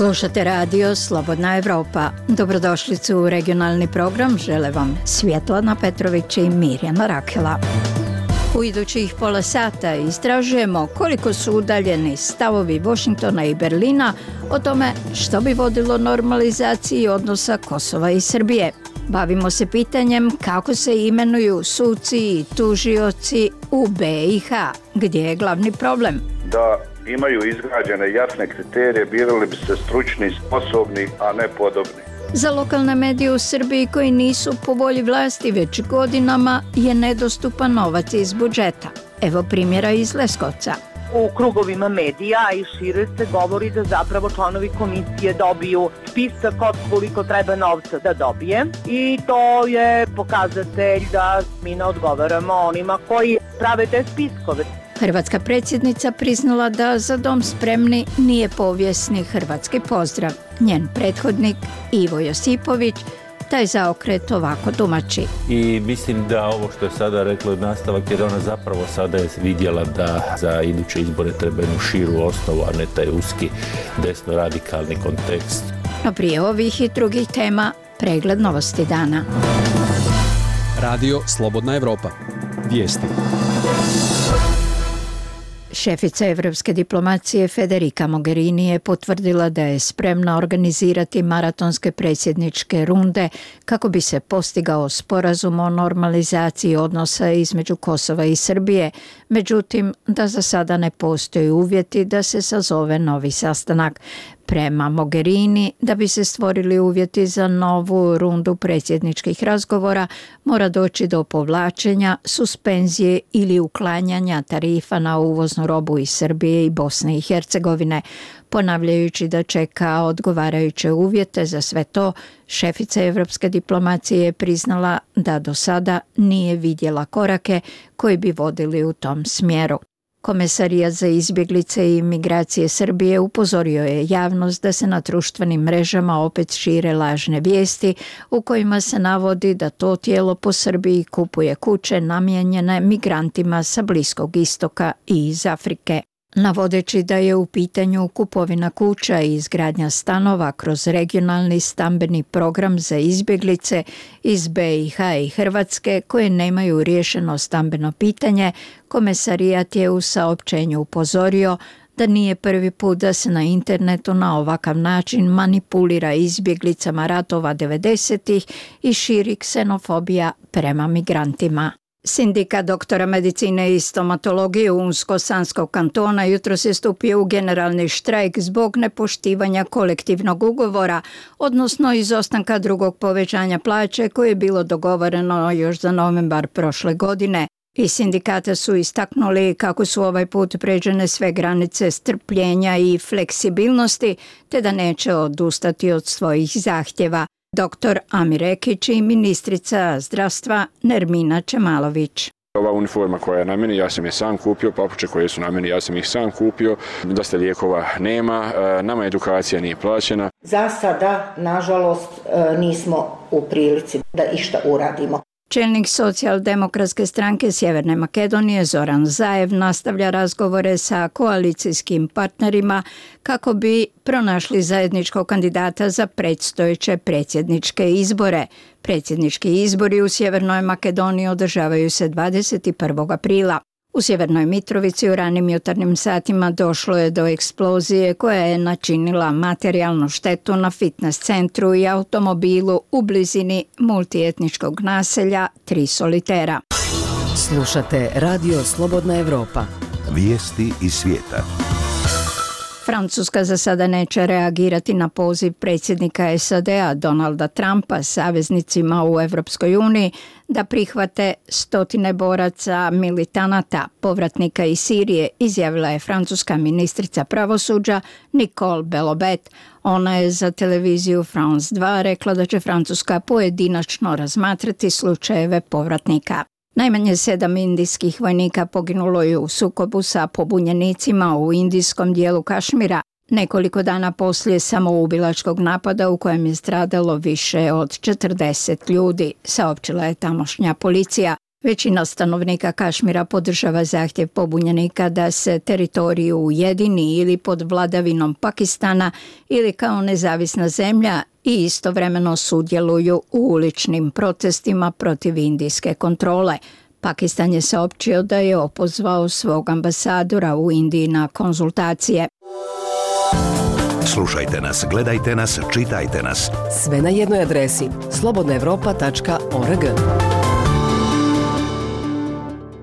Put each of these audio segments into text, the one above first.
Slušate radio Slobodna Evropa. Dobrodošlicu u regionalni program. Žele vam Svjetlana Petrović i Mirjana Rakela. U idućih pola sata istražujemo koliko su udaljeni stavovi Washingtona i Berlina o tome što bi vodilo normalizaciji odnosa Kosova i Srbije. Bavimo se pitanjem kako se imenuju suci i tužioci u BiH. Gdje je glavni problem? Da imaju izgrađene jasne kriterije, birali bi se stručni, sposobni, a ne podobni. Za lokalne medije u Srbiji koji nisu po volji vlasti već godinama je nedostupan novac iz budžeta. Evo primjera iz Leskovca. U krugovima medija i šire se govori da zapravo članovi komisije dobiju spisak od koliko treba novca da dobije i to je pokazatelj da mi ne odgovaramo onima koji prave te spiskove. Hrvatska predsjednica priznala da Za dom spremni nije povijesni hrvatski pozdrav. Njen prethodnik Ivo Josipović taj zaokret ovako tumači. I mislim da ovo što je sada rekla nastavak, jer ona zapravo sada je vidjela da za iduće izbore treba jednu širu osnovu, a ne taj uski desno-radikalni kontekst. No prije ovih i drugih tema, pregled novosti dana. Radio Slobodna Evropa. Vijesti. Šefica evropske diplomacije Federica Mogherini je potvrdila da je spremna organizirati maratonske predsjedničke runde kako bi se postigao sporazum o normalizaciji odnosa između Kosova i Srbije, međutim da za sada ne postoji uvjeti da se sazove novi sastanak. Prema Mogherini, da bi se stvorili uvjeti za novu rundu predsjedničkih razgovora, mora doći do povlačenja, suspenzije ili uklanjanja tarifa na uvoznu robu iz Srbije i Bosne i Hercegovine. Ponavljajući da čeka odgovarajuće uvjete za sve to, šefica evropske diplomacije je priznala da do sada nije vidjela korake koji bi vodili u tom smjeru. Komesarijat za izbjeglice i migracije Srbije upozorio je javnost da se na društvenim mrežama opet šire lažne vijesti u kojima se navodi da to tijelo po Srbiji kupuje kuće namijenjene migrantima sa Bliskog istoka i iz Afrike. Navodeći da je u pitanju kupovina kuća i izgradnja stanova kroz regionalni stambeni program za izbjeglice iz BiH i Hrvatske koje nemaju riješeno stambeno pitanje, komesarijat je u saopćenju upozorio da nije prvi put da se na internetu na ovakav način manipulira izbjeglicama ratova 90-ih i širi ksenofobija prema migrantima. Sindikat doktora medicine i stomatologije Unsko-Sanskog kantona jutros je stupio u generalni štrajk zbog nepoštivanja kolektivnog ugovora, odnosno izostanka drugog povećanja plaće koje je bilo dogovoreno još za novembar prošle godine. I sindikata su istaknuli kako su ovaj put pređene sve granice strpljenja i fleksibilnosti, te da neće odustati od svojih zahtjeva. Dr. Amir Ekić i ministrica zdravstva Nermina Čemalović. Ova uniforma koja je na meni, ja sam je sam kupio, papuče koje su na meni, ja sam ih sam kupio, dosta lijekova nema, nama edukacija nije plaćena. Za sada, nažalost, nismo u prilici da išta uradimo. Čelnik socijaldemokratske stranke Sjeverne Makedonije Zoran Zaev nastavlja razgovore sa koalicijskim partnerima kako bi pronašli zajedničkog kandidata za predstojeće predsjedničke izbore. Predsjednički izbori u Sjevernoj Makedoniji održavaju se 21. aprila. U Sjevernoj Mitrovici u ranim jutarnjim satima došlo je do eksplozije koja je načinila materijalnu štetu na fitness centru i automobilu u blizini multietničkog naselja Tri solitera. Slušate Radio Slobodna Evropa. Vijesti iz svijeta. Francuska za sada neće reagirati na poziv predsjednika SAD-a Donalda Trumpa saveznicima u Europskoj uniji da prihvate stotine boraca militanata, povratnika iz Sirije, izjavila je francuska ministrica pravosuđa Nicole Belloubet. Ona je za televiziju France 2 rekla da će Francuska pojedinačno razmatrati slučajeve povratnika. Najmanje 7 indijskih vojnika poginulo je u sukobu sa pobunjenicima u indijskom dijelu Kašmira, nekoliko dana poslije samoubilačkog napada u kojem je stradalo više od 40 ljudi, saopćila je tamošnja policija. Većina stanovnika Kašmira podržava zahtjev pobunjenika da se teritoriju ujedini ili pod vladavinom Pakistana ili kao nezavisna zemlja i istovremeno sudjeluju u uličnim protestima protiv indijske kontrole. Pakistan je saopćio da je opozvao svog ambasadora u Indiji na konzultacije. Slušajte nas, gledajte nas, čitajte nas. Sve na jednoj adresi slobodnaevropa.org.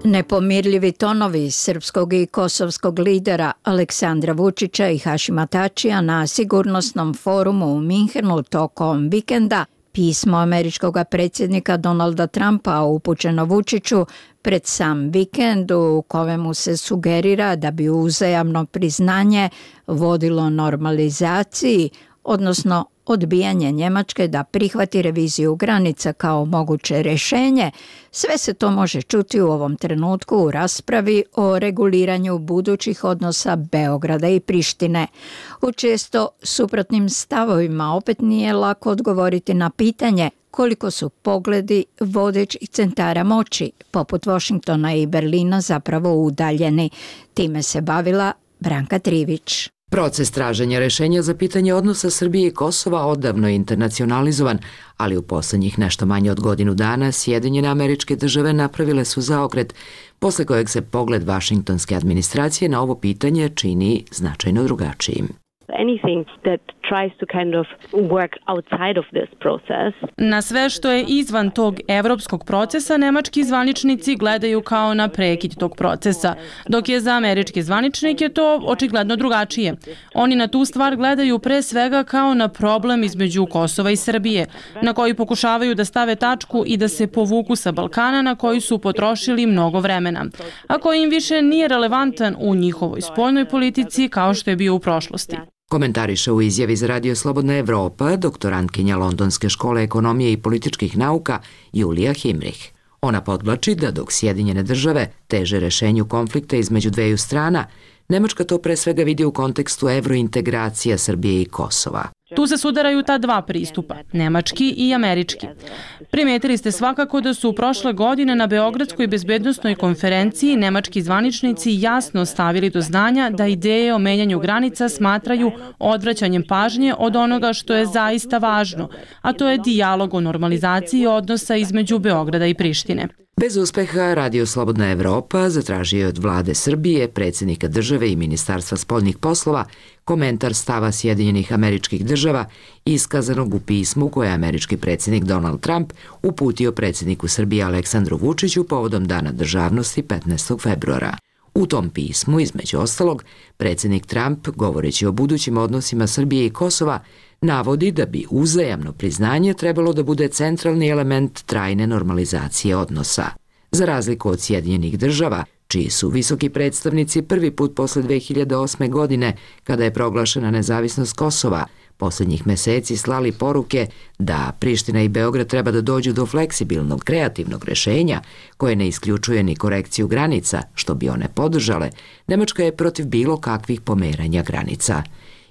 Nepomirljivi tonovi srpskog i kosovskog lidera Aleksandra Vučića i Hašima Tačija na sigurnosnom forumu u Minhenu tokom vikenda, pismo američkog predsjednika Donalda Trumpa upućeno Vučiću pred sam vikend u kojemu se sugerira da bi uzajamno priznanje vodilo normalizaciji, odnosno odbijanje Njemačke da prihvati reviziju granica kao moguće rješenje, sve se to može čuti u ovom trenutku u raspravi o reguliranju budućih odnosa Beograda i Prištine. U često suprotnim stavovima opet nije lako odgovoriti na pitanje koliko su pogledi vodećih centara moći, poput Washingtona i Berlina, zapravo udaljeni. Time se bavila Branka Trivić. Proces traženja rešenja za pitanje odnosa Srbije i Kosova odavno je internacionalizovan, ali u poslednjih nešto manje od godinu dana Sjedinjene Američke Države napravile su zaokret, posle kojeg se pogled vašingtonske administracije na ovo pitanje čini značajno drugačijim. Anything that tries to kind of work outside of this process. Na sve što je izvan tog evropskog procesa, nemački zvaničnici gledaju kao na prekid tog procesa, dok je za američke zvaničnike to očigledno drugačije. Oni na tu stvar gledaju pre svega kao na problem između Kosova i Srbije, na koji pokušavaju da stave tačku i da se povuku sa Balkana na koji su potrošili mnogo vremena, a koji im više nije relevantan u njihovoj spoljnoj politici kao što je bio u prošlosti. Komentariše u izjavi za Radio Slobodna Evropa doktorantkinja Londonske škole ekonomije i političkih nauka Julija Himrich. Ona podvlači da dok Sjedinjene Države teže rešenju konflikta između dveju strana, Nemačka to pre svega vidi u kontekstu evrointegracija Srbije i Kosova. Tu se sudaraju ta dva pristupa, nemački i američki. Primetili ste svakako da su prošle godine na Beogradskoj bezbednosnoj konferenciji nemački zvaničnici jasno stavili do znanja da ideje o menjanju granica smatraju odvraćanjem pažnje od onoga što je zaista važno, a to je dijalog o normalizaciji odnosa između Beograda i Prištine. Bez uspeha Radio Slobodna Evropa zatražio je od vlade Srbije, predsjednika države i Ministarstva spoljnih poslova komentar stava Sjedinjenih Američkih Država iskazanog u pismu koje je američki predsjednik Donald Trump uputio predsjedniku Srbije Aleksandru Vučiću povodom Dana državnosti 15. februara. U tom pismu, između ostalog, predsjednik Trump, govoreći o budućim odnosima Srbije i Kosova, navodi da bi uzajamno priznanje trebalo da bude centralni element trajne normalizacije odnosa. Za razliku od Sjedinjenih Država, čiji su visoki predstavnici prvi put posle 2008. godine, kada je proglašena nezavisnost Kosova, posljednjih meseci slali poruke da Priština i Beograd treba da dođu do fleksibilnog, kreativnog rešenja koje ne isključuje ni korekciju granica, što bi one podržale, Nemačka je protiv bilo kakvih pomeranja granica.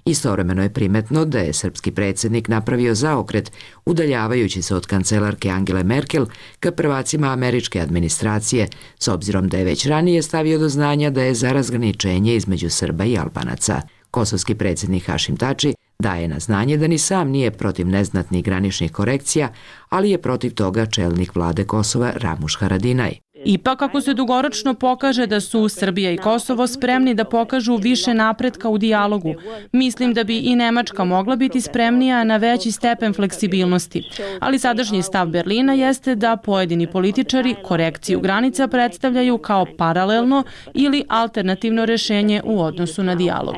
Istovremeno je primetno da je srpski predsjednik napravio zaokret udaljavajući se od kancelarke Angele Merkel ka prvacima američke administracije, s obzirom da je već ranije stavio do znanja da je za razgraničenje između Srba i Albanaca. Kosovski predsjednik Hašim Tači daje na znanje da ni sam nije protiv neznatnih graničnih korekcija, ali je protiv toga čelnik vlade Kosova Ramuš Haradinaj. Ipak, ako se dugoročno pokaže da su Srbija i Kosovo spremni da pokažu više napretka u dijalogu, mislim da bi i Nemačka mogla biti spremnija na veći stepen fleksibilnosti. Ali sadašnji stav Berlina jeste da pojedini političari korekciju granica predstavljaju kao paralelno ili alternativno rešenje u odnosu na dijalog.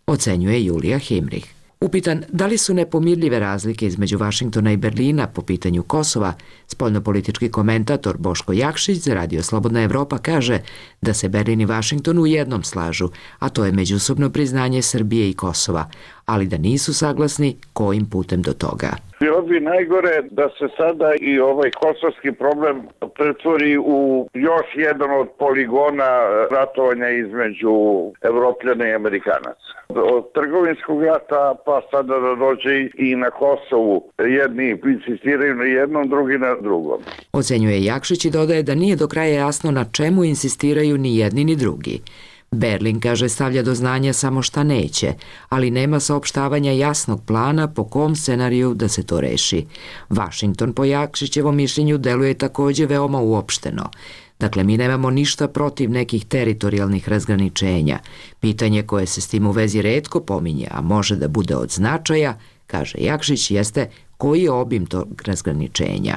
Ocenjuje Julija Himrich. Upitan da li su nepomirljive razlike između Vašingtona i Berlina po pitanju Kosova, spoljnopolitički komentator Boško Jakšić za Radio Slobodna Evropa kaže da se Berlin i Vašington u jednom slažu, a to je međusobno priznanje Srbije i Kosova, ali da nisu saglasni kojim putem do toga. Bilo bi najgore da se sada i ovaj kosovski problem pretvori u još jedan od poligona ratovanja između Evropljana i Amerikanaca. Od trgovinskog rata pa sada da dođe i na Kosovu. Jedni insistiraju na jednom, drugi na drugom. Ocenjuje Jakšić i dodaje da nije do kraja jasno na čemu insistiraju ni jedni ni drugi. Berlin, kaže, stavlja do znanja samo šta neće, ali nema saopštavanja jasnog plana po kom scenariju da se to reši. Vašington, po Jakšićevom mišljenju, deluje takođe veoma uopšteno. Dakle, mi nemamo ništa protiv nekih teritorijalnih razgraničenja. Pitanje koje se s tim u vezi retko pominje, a može da bude od značaja, kaže Jakšić, jeste koji je obim tog razgraničenja.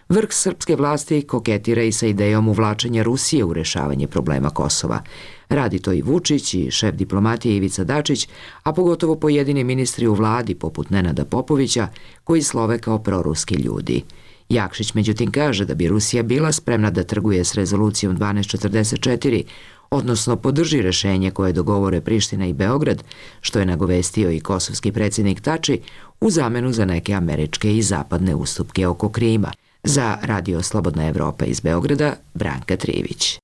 Vrh srpske vlasti koketira i sa idejom uvlačenja Rusije u rešavanje problema Kosova. Radi to i Vučić i šef diplomatije Ivica Dačić, a pogotovo pojedini ministri u vladi poput Nenada Popovića, koji slove kao proruski ljudi. Jakšić međutim kaže da bi Rusija bila spremna da trguje s rezolucijom 1244, odnosno podrži rešenje koje dogovore Priština i Beograd, što je nagovestio i kosovski predsjednik Tači, u zamenu za neke američke i zapadne ustupke oko Krima. Za Radio Slobodna Evropa iz Beograda, Branka Trivić.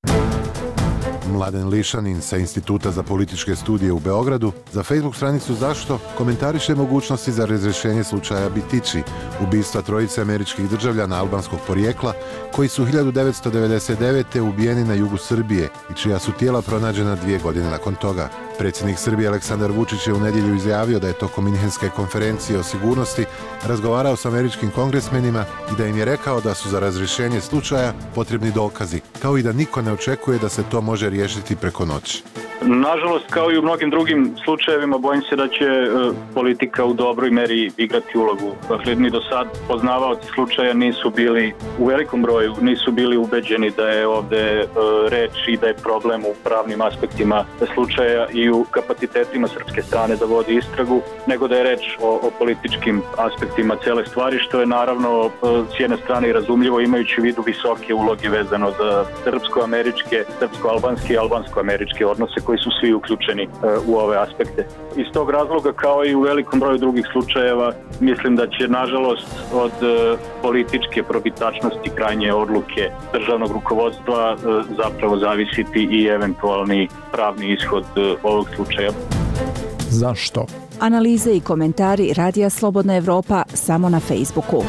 Mladen Lišanin sa Instituta za političke studije u Beogradu za Facebook stranicu Zašto komentariše mogućnosti za razrešenje slučaja Bitići, ubistva trojice američkih državljana albanskog porijekla koji su 1999. ubijeni na jugu Srbije i čija su tijela pronađena 2 godine nakon toga. Predsjednik Srbije Aleksandar Vučić je u nedjelju izjavio da je tokom Minhenske konferencije o sigurnosti razgovarao s američkim kongresmenima i da im je rekao da su za razrješenje slučaja potrebni dokazi, kao i da niko ne očekuje da se to može riješiti preko noći. Nažalost, kao i u mnogim drugim slučajevima, bojim se da će politika u dobroj meri igrati ulogu. Dakle, ni do sad poznavaoci slučaja nisu bili, u velikom broju, nisu bili ubeđeni da je ovde reč i da je problem u pravnim aspektima slučaja i u kapacitetima srpske strane da vodi istragu, nego da je reč o političkim aspektima cele stvari, što je naravno s jedne strane i razumljivo, imajući u vidu visoke uloge vezano za srpsko-američke, srpsko-albanske i albansko-američke odnose koji su svi uključeni u ove aspekte. Iz tog razloga, kao i u velikom broju drugih slučajeva, mislim da će, nažalost, od političke probitačnosti krajnje odluke državnog rukovodstva zapravo zavisiti i eventualni pravni ishod ovog slučaja. Zašto? Analize i komentari Radija Slobodna Evropa samo na Facebooku.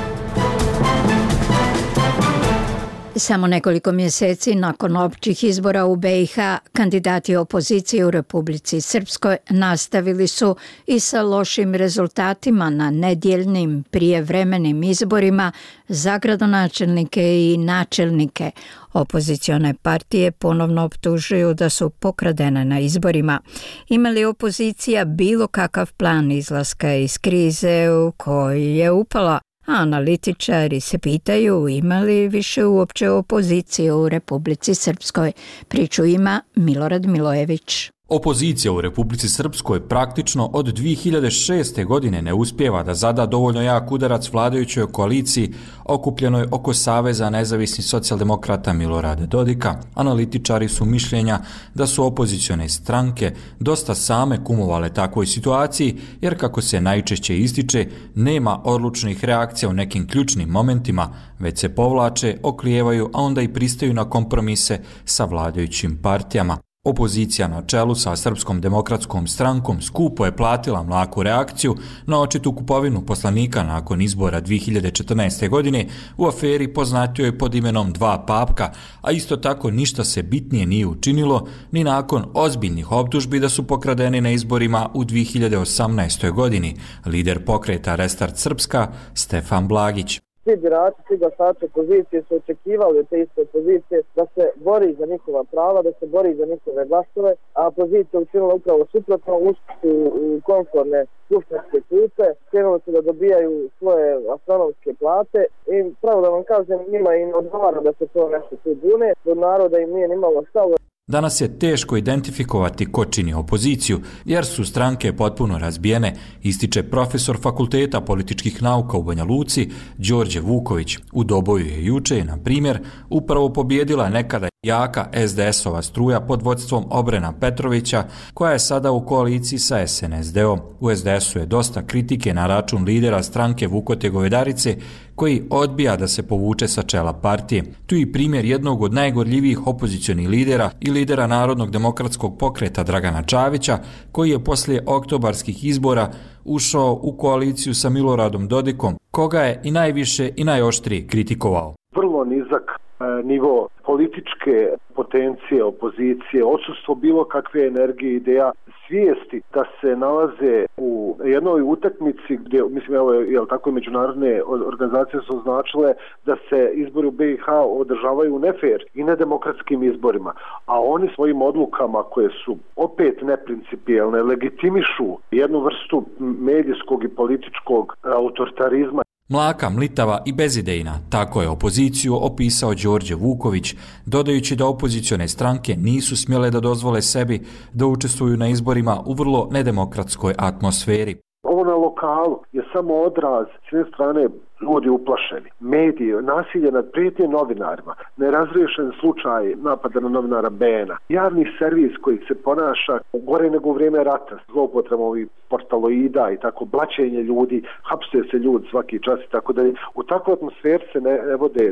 Samo nekoliko mjeseci nakon općih izbora u BiH, kandidati opozicije u Republici Srpskoj nastavili su i sa lošim rezultatima na nedjeljnim prijevremenim izborima za gradonačelnike i načelnike. Opozicione partije ponovno optužuju da su pokradene na izborima. Ima li opozicija bilo kakav plan izlaska iz krize u koju je upala? Analitičari se pitaju ima li više uopće opozicije u Republici Srpskoj. Priču ima Milorad Milojević. Opozicija u Republici Srpskoj praktično od 2006. godine ne uspijeva da zada dovoljno jak udarac vladajućoj koaliciji okupljenoj oko Saveza nezavisnih socijaldemokrata Milorada Dodika. Analitičari su mišljenja da su opozicione stranke dosta same kumovale takvoj situaciji, jer kako se najčešće ističe, nema odlučnih reakcija u nekim ključnim momentima, već se povlače, oklijevaju, a onda i pristaju na kompromise sa vladajućim partijama. Opozicija na čelu sa Srpskom demokratskom strankom skupo je platila mlaku reakciju na očitu kupovinu poslanika nakon izbora 2014. godine u aferi poznatijoj pod imenom Dva papka, a isto tako ništa se bitnije nije učinilo ni nakon ozbiljnih optužbi da su pokradeni na izborima u 2018. godini. Lider pokreta Restart Srpska, Stefan Blagić. Svi birači, svi glasači opozicije su očekivali od te iste opozicije da se bori za njihova prava, da se bori za njihove glasove, a opozicija učinila upravo suprotno, ušli u konforne skupštinske klupe, krenuli su da dobijaju svoje astronomske plate i pravo da vam kažem, njima im odgovara da se to nešto tu bune, do naroda im nije nimalo stalo. Danas je teško identifikovati ko čini opoziciju, jer su stranke potpuno razbijene, ističe profesor Fakulteta političkih nauka u Banja Luci, Đorđe Vuković. U Doboju je juče, na primjer, upravo pobjedila nekada Jaka SDS-ova struja pod vodstvom Obrena Petrovića, koja je sada u koaliciji sa SNSD-om. U SDS-u je dosta kritike na račun lidera stranke Vukote Govedarice, koji odbija da se povuče sa čela partije. Tu je i primjer jednog od najgorljivijih opozicionih lidera i lidera Narodnog demokratskog pokreta Dragana Čavića, koji je poslije oktobarskih izbora ušao u koaliciju sa Miloradom Dodikom, koga je i najviše i najoštrije kritikovao. Vrlo nizak nivo političke potencije, opozicije, odsustvo bilo kakve energije, ideja, svijesti da se nalaze u jednoj utakmici gdje, mislim, evo, tako i međunarodne organizacije su označile da se izbori u BiH održavaju nefer i nedemokratskim izborima, a oni svojim odlukama koje su opet neprincipijelne legitimišu jednu vrstu medijskog i političkog autoritarizma. Mlaka, mlitava i bezidejna, tako je opoziciju opisao Đorđe Vuković, dodajući da opozicione stranke nisu smjele da dozvole sebi da učestvuju na izborima u vrlo nedemokratskoj atmosferi. Ovo na lokalu je samo odraz s jedne strane ljudi uplašeni, mediji, nasilje nad prijetnje novinarima, nerazriješen slučaj napada na novinara Bena, javni servis koji se ponaša gore nego u vrijeme rata, zloupotrebom ovih portaloida i tako, blaćenje ljudi, hapsuje se ljudi svaki čas i tako dalje. U takvoj atmosferi se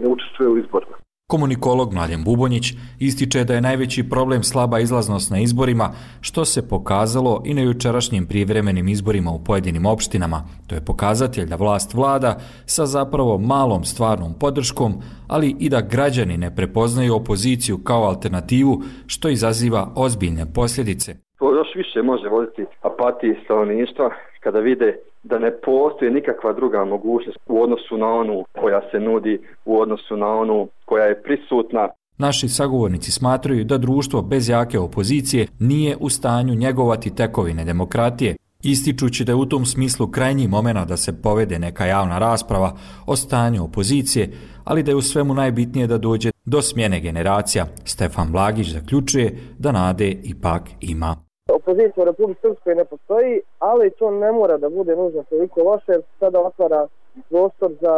ne učestvuje u izborima. Komunikolog Mladen Bubonjić ističe da je najveći problem slaba izlaznost na izborima, što se pokazalo i na jučerašnjim prijevremenim izborima u pojedinim opštinama. To je pokazatelj da vlast vlada sa zapravo malom stvarnom podrškom, ali i da građani ne prepoznaju opoziciju kao alternativu, što izaziva ozbiljne posljedice. To još više može voditi apatiji stanovništva kada vide da ne postoji nikakva druga mogućnost u odnosu na onu koja se nudi, u odnosu na onu koja je prisutna. Naši sagovornici smatraju da društvo bez jake opozicije nije u stanju njegovati tekovine demokratije, ističući da je u tom smislu krajnji momenat da se povede neka javna rasprava o stanju opozicije, ali da je u svemu najbitnije da dođe do smjene generacija. Stefan Blagić zaključuje da nade ipak ima. Opozicija u Republici Srpskoj ne postoji, ali to ne mora da bude nužno toliko loše, jer sada otvara prostor za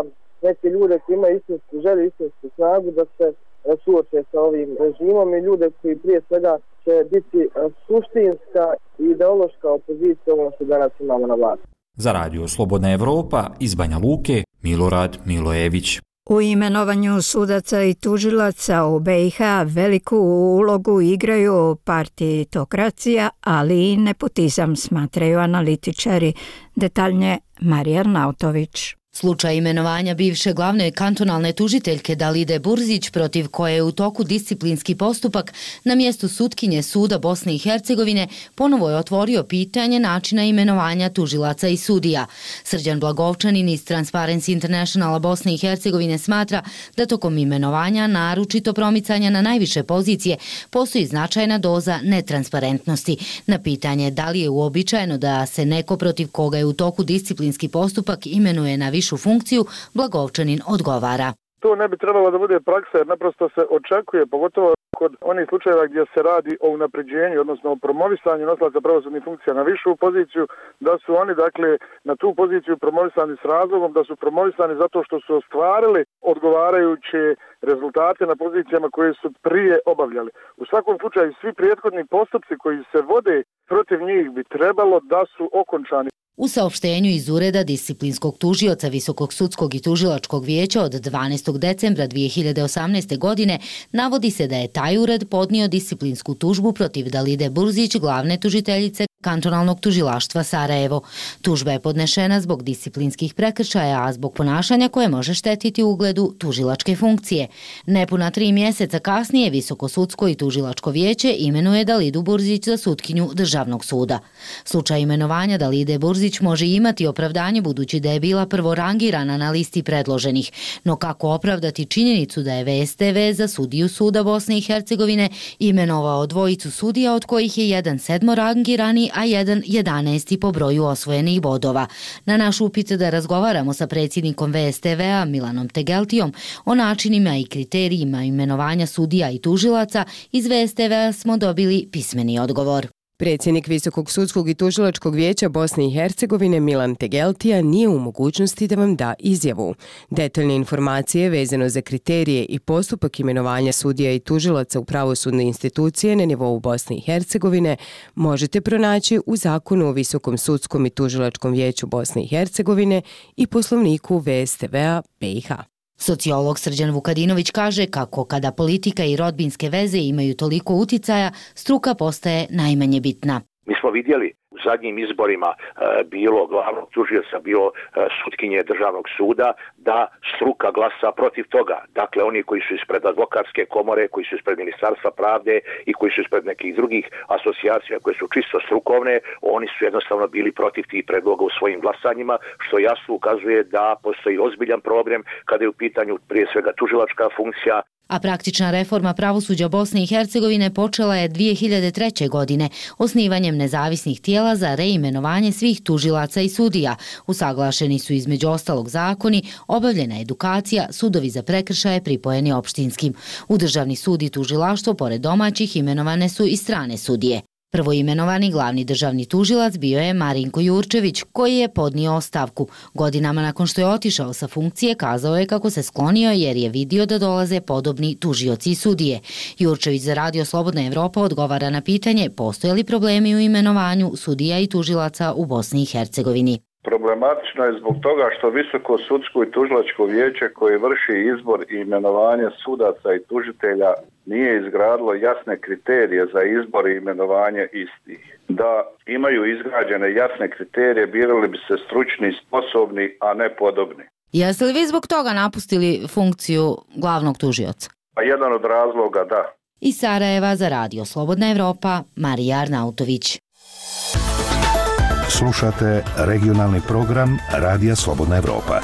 neke ljude koji imaju istinsku želju, istinsku snagu da se suoče sa ovim režimom i ljude koji prije svega će biti suštinska i ideološka opozicija ono što danas imamo na vlasti. Za Radio Slobodna Evropa iz Banja Luke, Milorad Milojević. U imenovanju sudaca i tužilaca u BiH veliku ulogu igraju partitokracija, ali i nepotizam, smatraju analitičari. Detaljnije Marija Arnautović. Slučaj imenovanja bivše glavne kantonalne tužiteljke Dalide Burzić, protiv koje je u toku disciplinski postupak na mjestu sutkinje Suda Bosne i Hercegovine, ponovo je otvorio pitanje načina imenovanja tužilaca i sudija. Srđan Blagovčanin iz Transparency Internationala Bosne i Hercegovine smatra da tokom imenovanja, naročito promicanja na najviše pozicije, postoji značajna doza netransparentnosti. Na pitanje da li je uobičajeno da se neko protiv koga je u toku disciplinski postupak imenuje na višu funkciju, Blagovčanin odgovara. To ne bi trebalo da bude praksa, jer naprosto se očekuje, pogotovo kod onih slučajeva gdje se radi o unapređenju, odnosno o promovisanju nosilaca pravosudnih funkcija na višu poziciju, da su oni dakle na tu poziciju promovisani s razlogom, da su promovisani zato što su ostvarili odgovarajuće rezultate na pozicijama koje su prije obavljali. U svakom slučaju svi prethodni postupci koji se vode protiv njih bi trebalo da su okončani. U saopštenju iz Ureda disciplinskog tužioca Visokog sudskog i tužilačkog vijeća od 12. decembra 2018. godine navodi se da je taj ured podnio disciplinsku tužbu protiv Dalide Burzić, glavne tužiteljice kantonalnog tužilaštva Sarajevo. Tužba je podnešena zbog disciplinskih prekršaja, a zbog ponašanja koje može štetiti ugledu tužilačke funkcije. Nepuna 3 mjeseca kasnije Visoko sudsko i tužilačko vijeće imenuje Dalidu Burzić za sutkinju Državnog suda. Slučaj imenovanja Dalide Burzić može imati opravdanje budući da je bila prvorangirana na listi predloženih, no kako opravdati činjenicu da je VSTV za sudiju Suda Bosne i Hercegovine imenovao 2 sudija, od kojih je jedan 7. a jedan 11. po broju osvojenih bodova. Na naš upit da razgovaramo sa predsjednikom VSTV-a Milanom Tegeltijom o načinima i kriterijima imenovanja sudija i tužilaca, iz VSTV-a smo dobili pismeni odgovor. Predsjednik Visokog sudskog i tužilačkog vijeća Bosne i Hercegovine Milan Tegeltija nije u mogućnosti da vam da izjavu. Detaljne informacije vezano za kriterije i postupak imenovanja sudija i tužilaca u pravosudne institucije na nivou Bosne i Hercegovine možete pronaći u Zakonu o Visokom sudskom i tužilačkom vijeću Bosne i Hercegovine i Poslovniku VSTV-a BiH. Sociolog Srđan Vukadinović kaže kako kada politika i rodbinske veze imaju toliko uticaja, struka postaje najmanje bitna. Mi smo vidjeli u zadnjim izborima bilo glavnog tužioca, bilo sutkinje državnog suda, da struka glasa protiv toga. Dakle, oni koji su ispred advokatske komore, koji su ispred Ministarstva pravde i koji su ispred nekih drugih asocijacija koje su čisto strukovne, oni su jednostavno bili protiv tih predloga u svojim glasanjima, što jasno ukazuje da postoji ozbiljan problem kada je u pitanju prije svega tužilačka funkcija. A praktična reforma pravosuđa Bosne i Hercegovine počela je 2003. godine osnivanjem nezavisnih tijela za reimenovanje svih tužilaca i sudija. Usaglašeni su između ostalog zakoni, obavljena edukacija, sudovi za prekršaje pripojeni opštinskim. U Državni sud i tužilaštvo pored domaćih imenovane su i strane sudije. Prvoimenovani glavni državni tužilac bio je Marinko Jurčević, koji je podnio ostavku. Godinama nakon što je otišao sa funkcije, kazao je kako se sklonio jer je vidio da dolaze podobni tužioci i sudije. Jurčević za Radio Slobodna Evropa odgovara na pitanje postoje li problemi u imenovanju sudija i tužilaca u Bosni i Hercegovini. Problematično je zbog toga što Visoko sudsko i tužilačko vijeće koje vrši izbor i imenovanje sudaca i tužitelja nije izgradilo jasne kriterije za izbor i imenovanje istih. Da imaju izgrađene jasne kriterije, birali bi se stručni, sposobni, a ne podobni. Jeste li vi zbog toga napustili funkciju glavnog tužioca? Pa jedan od razloga, da. Iz Sarajeva za Radio Slobodna Evropa, Marija Arnautović. Slušate regionalni program Radija Slobodna Evropa.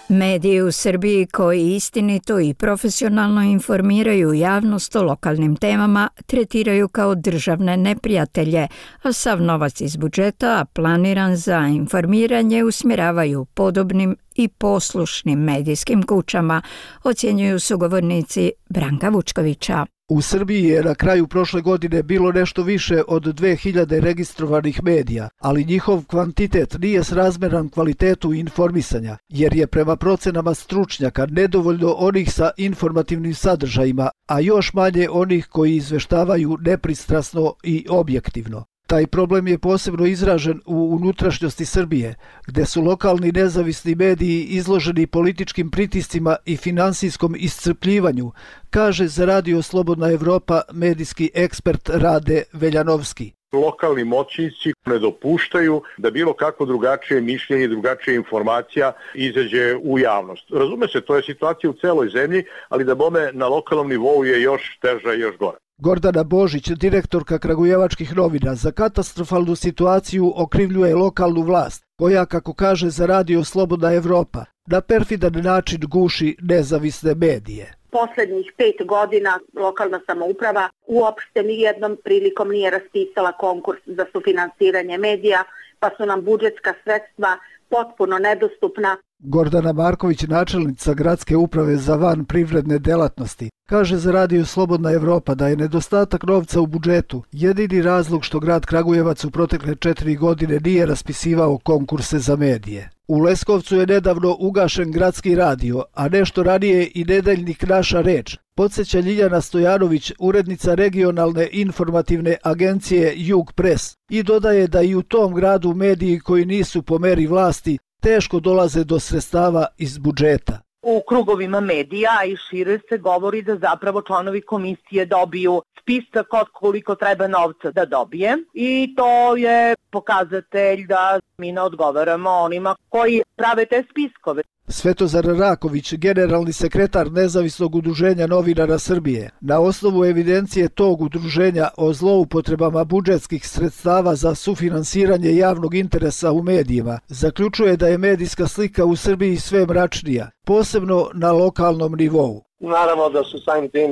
Mediji u Srbiji koji istinito i profesionalno informiraju javnost o lokalnim temama tretiraju kao državne neprijatelje, a sav novac iz budžeta planiran za informiranje usmjeravaju podobnim i poslušnim medijskim kućama, ocjenjuju sugovornici Branka Vučkovića. U Srbiji je na kraju prošle godine bilo nešto više od 2000 registrovanih medija, ali njihov kvantitet nije srazmjeran kvalitetu informisanja, jer je prema procenama stručnjaka nedovoljno onih sa informativnim sadržajima, a još manje onih koji izveštavaju nepristrasno i objektivno. Taj problem je posebno izražen u unutrašnjosti Srbije, gdje su lokalni nezavisni mediji izloženi političkim pritiscima i finansijskom iscrpljivanju, kaže za Radio Slobodna Evropa medijski ekspert Rade Veljanovski. Lokalni moćnici ne dopuštaju da bilo kako drugačije mišljenje, drugačija informacija izađe u javnost. Razume se, to je situacija u celoj zemlji, ali da bome na lokalnom nivou je još teža i još gora. Gordana Božić, direktorka Kragujevačkih novina, za katastrofalnu situaciju okrivljuje lokalnu vlast, koja, kako kaže za Radio Slobodna Evropa, na perfidan način guši nezavisne medije. Poslednjih 5 godina lokalna samouprava uopšte nijednom prilikom nije raspisala konkurs za sufinansiranje medija, pa su nam budžetska sredstva potpuno nedostupna. Gordana Marković, načelnica Gradske uprave za van privredne delatnosti, kaže za Radio Slobodna Evropa da je nedostatak novca u budžetu jedini razlog što grad Kragujevac u protekle 4 godine nije raspisivao konkurse za medije. U Leskovcu je nedavno ugašen gradski radio, a nešto ranije i nedeljnik Naša reč, podsjeća Ljiljana Stojanović, urednica regionalne informativne agencije Jug Press, i dodaje da i u tom gradu mediji koji nisu po meri vlasti teško dolaze do sredstava iz budžeta. U krugovima medija i šire se govori da zapravo članovi komisije dobiju spisak od koliko treba novca da dobije i to je pokazatelj da mi ne odgovaramo onima koji prave te spiskove. Svetozar Raković, generalni sekretar Nezavisnog udruženja novinara Srbije, na osnovu evidencije tog udruženja o zloupotrebama budžetskih sredstava za sufinansiranje javnog interesa u medijima, zaključuje da je medijska slika u Srbiji sve mračnija, posebno na lokalnom nivou. Naravno da su samim tim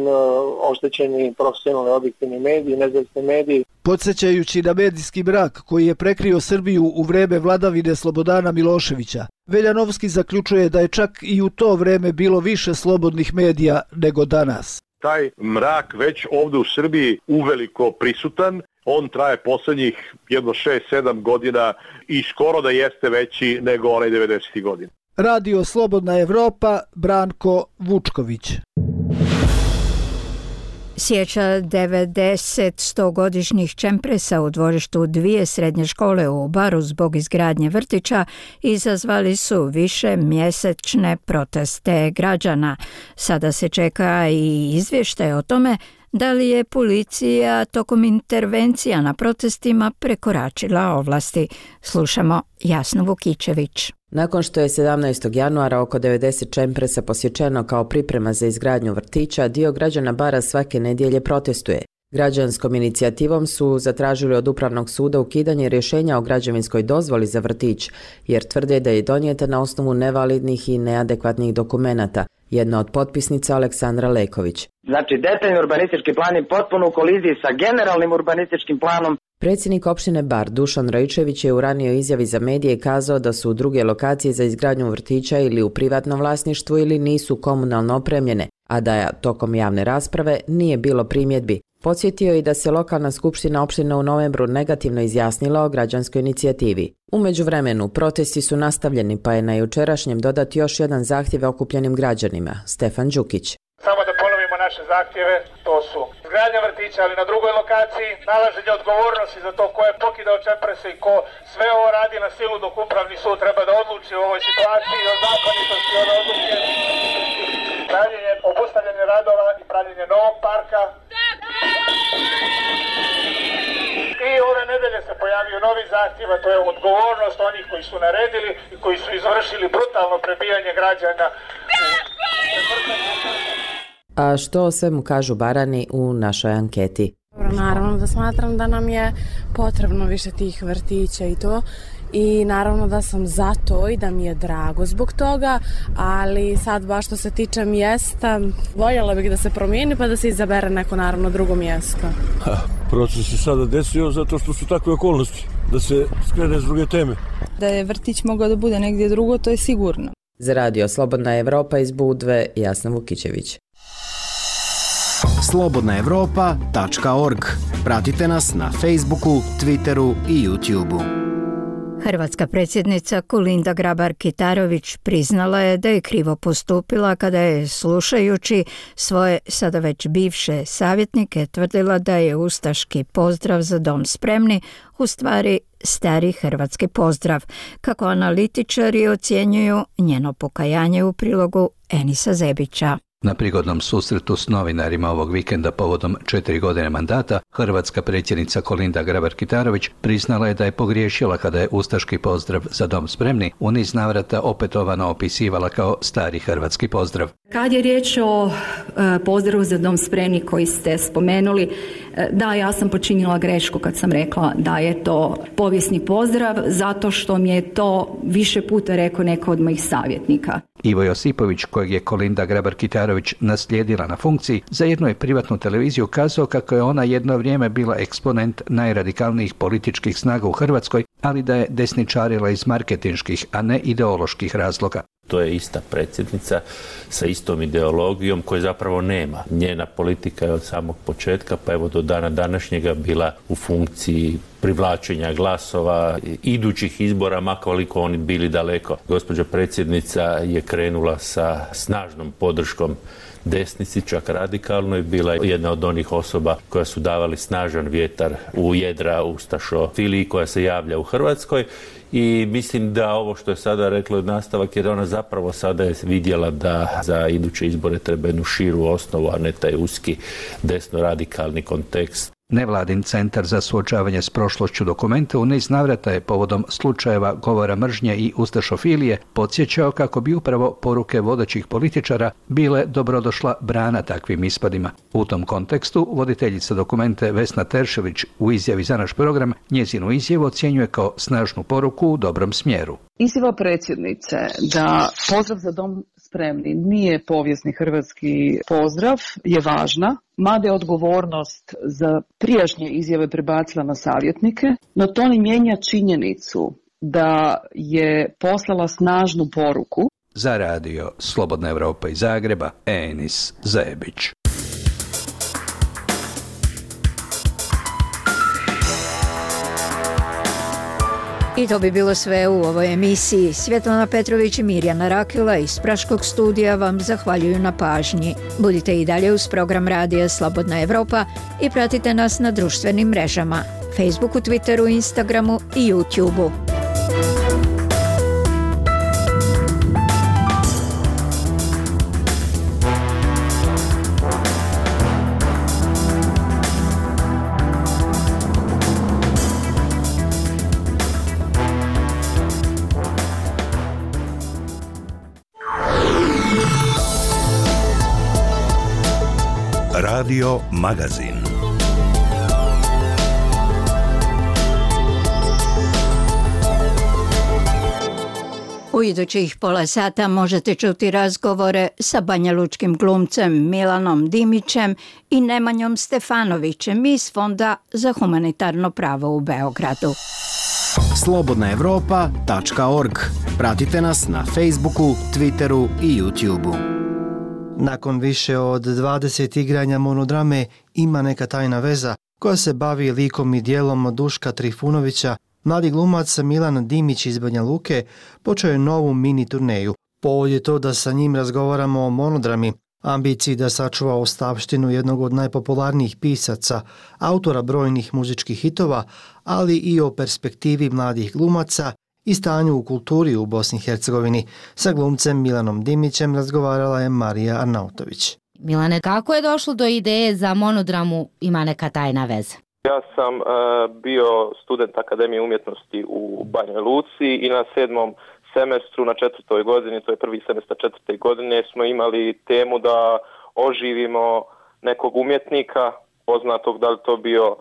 oštećeni profesionalni objektivni mediji, nezavisni mediji. Podsjećajući na medijski mrak koji je prekrio Srbiju u vreme vladavine Slobodana Miloševića, Veljanovski zaključuje da je čak i u to vreme bilo više slobodnih medija nego danas. taj mrak već ovde u Srbiji uveliko prisutan. On traje poslednjih jedno 6-7 godina i skoro da jeste veći nego onaj 90. godina. Radio Slobodna Evropa, Branko Vučković. Sjeća 90-100-godišnjih čempresa u dvorištu dvije srednje škole u Baru zbog izgradnje vrtića izazvali su više mjesečne proteste građana. Sada se čeka i izvještaj o tome da li je policija tokom intervencija na protestima prekoračila ovlasti. Slušamo Jasnu Vukičević. Nakon što je 17. januara oko 90 čempresa posječeno kao priprema za izgradnju vrtića, dio građana Bara svake nedjelje protestuje. Građanskom inicijativom su zatražili od Upravnog suda ukidanje rješenja o građevinskoj dozvoli za vrtić, jer tvrde da je donijeta na osnovu nevalidnih i neadekvatnih dokumenata. Jedna od potpisnica Aleksandra Leković. Znači, detaljni urbanistički plan je potpuno u koliziji sa generalnim urbanističkim planom. Predsjednik opštine Bar Dušan Rajičević je u ranijoj izjavi za medije kazao da su druge lokacije za izgradnju vrtića ili u privatnom vlasništvu ili nisu komunalno opremljene, a da tokom javne rasprave nije bilo primjedbi. Podsjetio je i da se lokalna skupština opštine u novembru negativno izjasnila o građanskoj inicijativi. U međuvremenu, protesti su nastavljeni, pa je na jučerašnjem dodat još jedan zahtjev okupljenim građanima, Stefan Đukić. Samo da ponovimo naše zahtjeve, to su izgradnja vrtića, ali na drugoj lokaciji, nalaženje odgovornosti za to ko je pokidao čemprese i ko sve ovo radi na silu, dok Upravni sud treba da odluči u ovoj situaciji o zakonitosti ove odluke, pravljenje, obustavljanje radova i pravljenje novog parka. I ove nedelje se pojavio novi zahtjev, a to je odgovornost onih koji su naredili i koji su izvršili brutalno prebijanje građana. A što o svemu kažu Barani u našoj anketi? Naravno da smatram da nam je potrebno više tih vrtića i to. I naravno da sam za to i da mi je drago zbog toga, ali sad baš što se tiče mjesta, voljela bih da se promijeni pa da se izabere neko naravno drugo mjesto. Proces se sada desio zato što su takve okolnosti, da se skrene s druge teme. Da je vrtić mogao da bude negdje drugo, to je sigurno. Za Radio Slobodna Evropa iz Budve, Jasna Vukičević. slobodnaevropa.org. Pratite nas na Facebooku, Twitteru i YouTubeu. Hrvatska predsjednica Kolinda Grabar-Kitarović priznala je da je krivo postupila kada je, slušajući svoje sada već bivše savjetnike, tvrdila da je ustaški pozdrav za dom spremni u stvari stari hrvatski pozdrav. Kako analitičari ocjenjuju njeno pokajanje u prilogu Enisa Zebića. Na prigodnom susretu s novinarima ovog vikenda povodom 4 godine mandata, hrvatska predsjednica Kolinda Grabar-Kitarović priznala je da je pogriješila kada je ustaški pozdrav za dom spremni u niz navrata opetovano opisivala kao stari hrvatski pozdrav. Kad je riječ o pozdravu za dom spremni koji ste spomenuli, da, ja sam počinila grešku kad sam rekla da je to povijesni pozdrav, zato što mi je to više puta rekao neko od mojih savjetnika. Ivo Josipović, kojeg je Kolinda Grabar-Kitarović naslijedila na funkciji, za jednu je privatnu televiziju kazao kako je ona jedno vrijeme bila eksponent najradikalnijih političkih snaga u Hrvatskoj, ali da je desničarila iz marketinških, a ne ideoloških razloga. To je ista predsjednica sa istom ideologijom koje zapravo nema. Njena politika je od samog početka pa evo do dana današnjega bila u funkciji privlačenja glasova, idućih izbora, makoliko oni bili daleko. Gospođa predsjednica je krenula sa snažnom podrškom desnici, čak radikalno, i bila jedna od onih osoba koja su davali snažan vjetar u jedra ustašofiliji koja se javlja u Hrvatskoj. I mislim da ovo što je sada rekla nastavak, jer ona zapravo sada je vidjela da za iduće izbore treba jednu širu osnovu, a ne taj uski desno-radikalni kontekst. Nevladin centar za suočavanje s prošlošću Dokumenta u niz navrata je povodom slučajeva govora mržnje i ustašofilije podsjećao kako bi upravo poruke vodećih političara bile dobrodošla brana takvim ispadima. U tom kontekstu voditeljica Dokumente Vesna Teršelić u izjavi za naš program njezinu izjavu ocjenjuje kao snažnu poruku u dobrom smjeru. Izjava predsjednice da pozdrav za dom spremni nije povijesni hrvatski pozdrav je važna, mada je odgovornost za prijašnje izjave prebacila na savjetnike, no to ne mijenja činjenicu da je poslala snažnu poruku. Za Radio Slobodna Evropa iz Zagreba, Enis Zebić. I to bi bilo sve u ovoj emisiji. Svjetlana Petrović i Mirjana Rakila iz Praškog studija vam zahvaljuju na pažnji. Budite i dalje uz program Radija Slobodna Evropa i pratite nas na društvenim mrežama, Facebooku, Twitteru, Instagramu i YouTubeu. Radio Magazin. U idućih pola sata možete čuti razgovore sa banjalučkim glumcem Milanom Dimićem i Nemanjom Stefanovićem iz Fonda za humanitarno pravo u Beogradu. slobodnaevropa.org. Pratite nas na Facebooku, Twitteru i YouTubeu. Nakon više od 20 igranja monodrame Ima neka tajna veza, koja se bavi likom i dijelom Duška Trifunovića, mladi glumac Milan Dimić iz Banja Luke počeo je novu mini turneju. Povod je to da sa njim razgovaramo o monodrami, ambiciji da sačuva ostavštinu jednog od najpopularnijih pisaca, autora brojnih muzičkih hitova, ali i o perspektivi mladih glumaca i stanju u kulturi u Bosni i Hercegovini. Sa glumcem Milanom Dimićem razgovarala je Marija Arnautović. Milane, kako je došlo do ideje za monodramu Ima neka tajna veza? Ja sam bio student Akademije umjetnosti u Banja Luci i na 7. semestru, na 4. godini, to je prvi semestar 4. godine, smo imali temu da oživimo nekog umjetnika, poznatog, da li to bio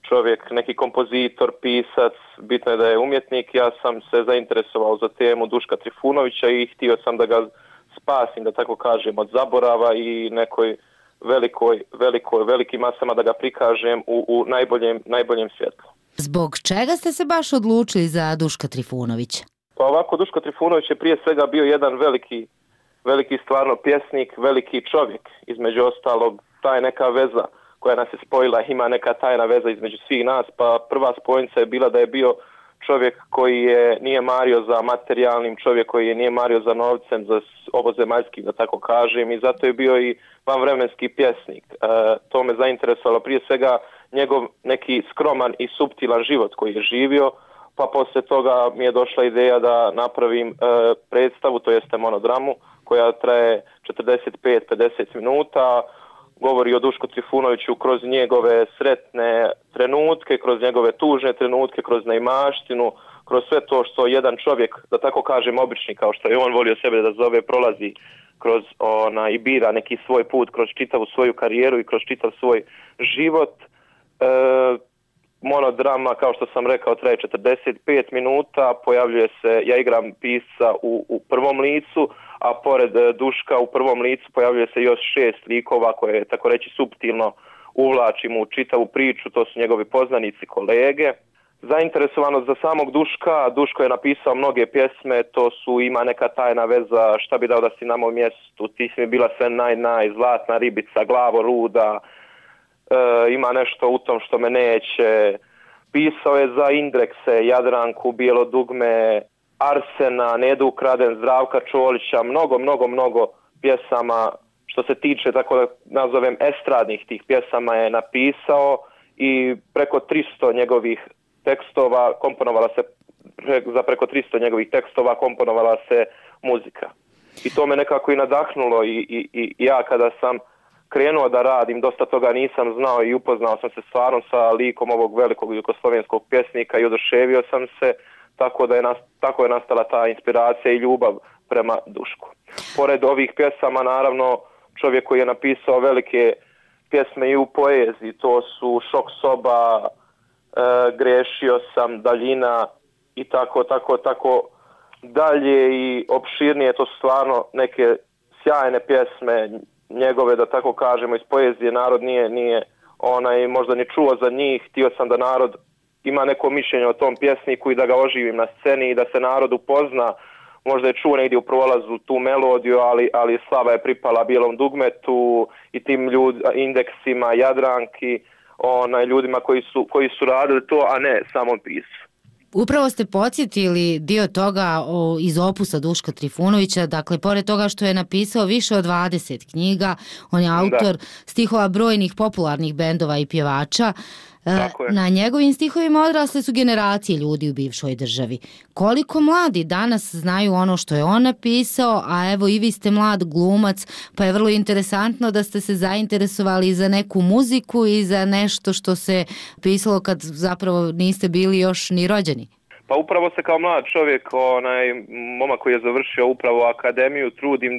čovjek, neki kompozitor, pisac, bitno je da je umjetnik. Ja sam se zainteresovao za temu Duška Trifunovića i htio sam da ga spasim, da tako kažem, od zaborava i nekoj velikim masama da ga prikažem u najboljem svjetlu. Zbog čega ste se baš odlučili za Duška Trifunovića? Pa ovako, Duško Trifunović je prije svega bio jedan veliki stvarno pjesnik, veliki čovjek. Između ostalog, ta je neka veza koja nas je spojila, ima neka tajna veza između svih nas, pa prva spojnica je bila da je bio čovjek koji nije mario za materijalnim, čovjek koji nije mario za novcem, za ovozemaljskim, da tako kažem, i zato je bio i vanvremenski pjesnik. To me zainteresovalo prije svega njegov neki skroman i suptilan život koji je živio, pa poslije toga mi je došla ideja da napravim predstavu, to jeste monodramu, koja traje 45-50 minuta, govori o Dušku Trifunoviću kroz njegove sretne trenutke, kroz njegove tužne trenutke, kroz neimaštinu, kroz sve to što jedan čovjek, da tako kažem obični, kao što je on volio sebe da zove, prolazi kroz i bira neki svoj put, kroz čitavu svoju karijeru i kroz čitav svoj život. Monodrama, kao što sam rekao, traje 45 minuta, pojavljuje se, ja igram pisca u prvom licu, a pored Duška u prvom licu pojavljuje se još 6 likova koje, tako reći, suptilno uvlačimo u čitavu priču, to su njegovi poznanici, kolege. Zainteresovanost za samog Duška, Duško je napisao mnoge pjesme, to su Ima neka tajna veza, Šta bi dao da si na mom mjestu, Ti si mi bila sve naj, Zlatna ribica, Glavo luda, Ima nešto u tom što me neće. Pisao je za Indrekse, Jadranku, Bijelo dugme, Arsena, Nedu ukraden, Zdravka Čolića, mnogo pjesama što se tiče, tako da nazovem, estradnih tih pjesama je napisao i preko 300 njegovih tekstova komponovala se muzika. I to me nekako i nadahnulo i ja kada sam krenuo da radim, dosta toga nisam znao i upoznao sam se stvarno sa likom ovog velikog jugoslovenskog pjesnika i oduševio sam se, tako je nastala ta inspiracija i ljubav prema Dušku. Pored ovih pjesama, naravno, čovjek koji je napisao velike pjesme i u poeziji, to su Šok soba, Grešio sam, Daljina i tako dalje i opširnije, to su stvarno neke sjajne pjesme njegove, da tako kažemo, iz poezije. Narod nije možda ni čuo za njih. Htio sam da narod ima neko mišljenje o tom pjesniku i da ga oživim na sceni i da se narod upozna. Možda je čuo negdje u prolazu tu melodiju, ali slava je pripala Bijelom dugmetu i tim Indeksima, Jadranki, ljudima koji su radili to, a ne samom pisu. Upravo ste podsjetili dio toga iz opusa Duška Trifunovića, dakle, pored toga što je napisao više od 20 knjiga, on je autor stihova brojnih popularnih bendova i pjevača. Na njegovim stihovima odrasle su generacije ljudi u bivšoj državi. Koliko mladi danas znaju ono što je on napisao, a evo i vi ste mlad glumac, pa je vrlo interesantno da ste se zainteresovali za neku muziku i za nešto što se pisalo kad zapravo niste bili još ni rođeni. Pa upravo se kao mlad čovjek, momak koji je završio upravo akademiju, trudim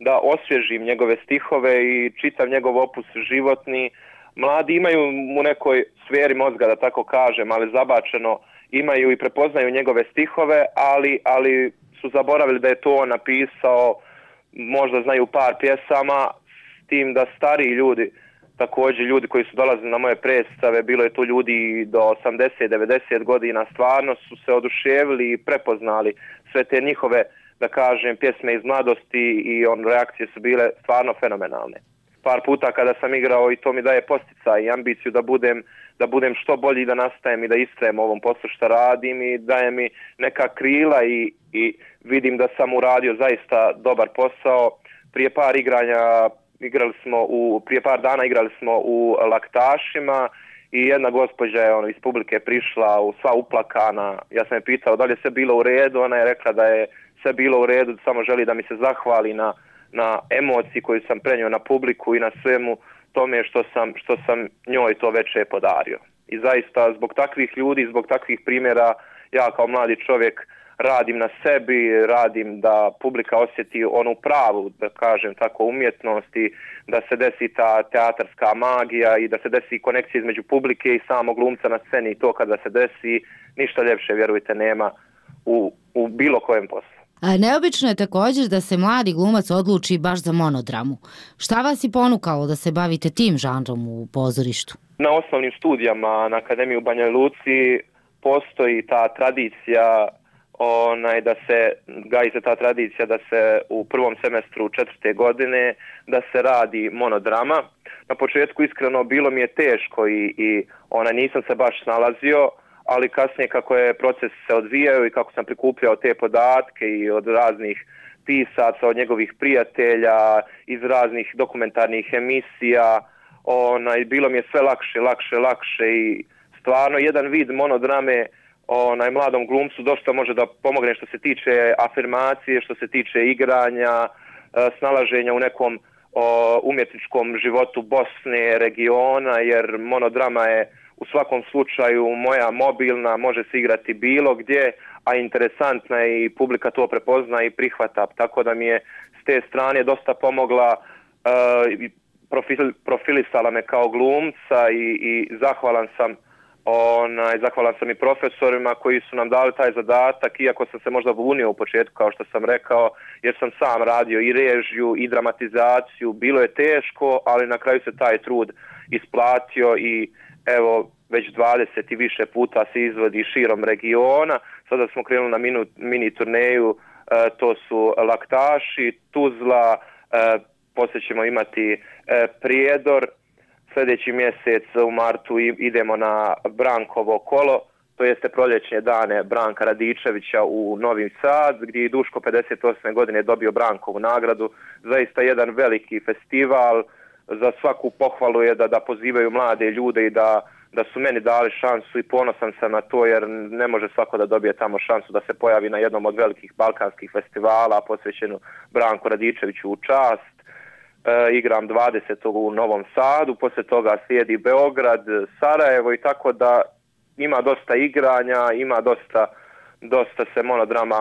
da osvježim njegove stihove i čitam njegov opus životni. Mladi imaju u nekoj sferi mozga, da tako kažem, ali zabačeno imaju i prepoznaju njegove stihove, ali su zaboravili da je to on napisao, možda znaju par pjesama, s tim da stariji ljudi, također ljudi koji su dolazili na moje predstave, bilo je to ljudi do 80-90 godina, stvarno su se oduševili i prepoznali sve te njihove, da kažem, pjesme iz mladosti i reakcije su bile stvarno fenomenalne. Par puta kada sam igrao i to mi daje posticaj i ambiciju da budem što bolji, da nastajem i da istrajem ovom poslu što radim i daje mi neka krila i vidim da sam uradio zaista dobar posao. Prije par dana igrali smo u Laktašima i jedna gospođa je iz publike prišla sva uplakana. Ja sam je pitao da li je sve bilo u redu, ona je rekla da je sve bilo u redu, samo želi da mi se zahvali na emociji koju sam prenio na publiku i na svemu tome što sam njoj to veče podario. I zaista zbog takvih ljudi, zbog takvih primjera, ja kao mladi čovjek radim na sebi, radim da publika osjeti onu pravu, da kažem tako, umjetnost i da se desi ta teatarska magija i da se desi konekcija između publike i samog glumca na sceni. I to kada se desi, ništa ljepše, vjerujte, nema u bilo kojem poslu. Neobično je također da se mladi glumac odluči baš za monodramu. Šta vas je ponukalo da se bavite tim žanrom u pozorištu? Na osnovnim studijama na Akademiji u Banja Luci postoji ta tradicija gaji se ta tradicija da se u prvom semestru 4. godine da se radi monodrama. Na početku iskreno bilo mi je teško i nisam se baš snalazio, ali kasnije kako je proces se odvijao i kako sam prikupljao te podatke i od raznih pisaca, od njegovih prijatelja, iz raznih dokumentarnih emisija, bilo mi je sve lakše i stvarno jedan vid monodrame mladom glumcu dosta može da pomogne što se tiče afirmacije, što se tiče igranja, snalaženja u nekom umjetničkom životu Bosne, regiona, jer monodrama je u svakom slučaju moja mobilna, može se igrati bilo gdje, a interesantna je i publika to prepozna i prihvata. Tako da mi je s te strane dosta pomogla, profilisala me kao glumca i zahvalan sam i profesorima koji su nam dali taj zadatak, iako sam se možda bunio u početku, kao što sam rekao, jer sam sam radio i režiju i dramatizaciju. Bilo je teško, ali na kraju se taj trud isplatio i evo, već 20 i više puta se izvodi širom regiona. Sada smo krenuli na mini turneju, to su Laktaši, Tuzla, poslije ćemo imati Prijedor. Sljedeći mjesec u martu idemo na Brankovo kolo, to jeste proljećne dane Branka Radičevića u Novi Sad, gdje je Duško 58. godine dobio Brankovu nagradu. Zaista jedan veliki festival, za svaku pohvalu je da pozivaju mlade ljude i da su meni dali šansu i ponosan sam na to, jer ne može svako da dobije tamo šansu da se pojavi na jednom od velikih balkanskih festivala posvećenu Branku Radičeviću u čast. Igram 20. u Novom Sadu, poslije toga slijedi Beograd, Sarajevo i tako da ima dosta igranja, ima dosta se monodrama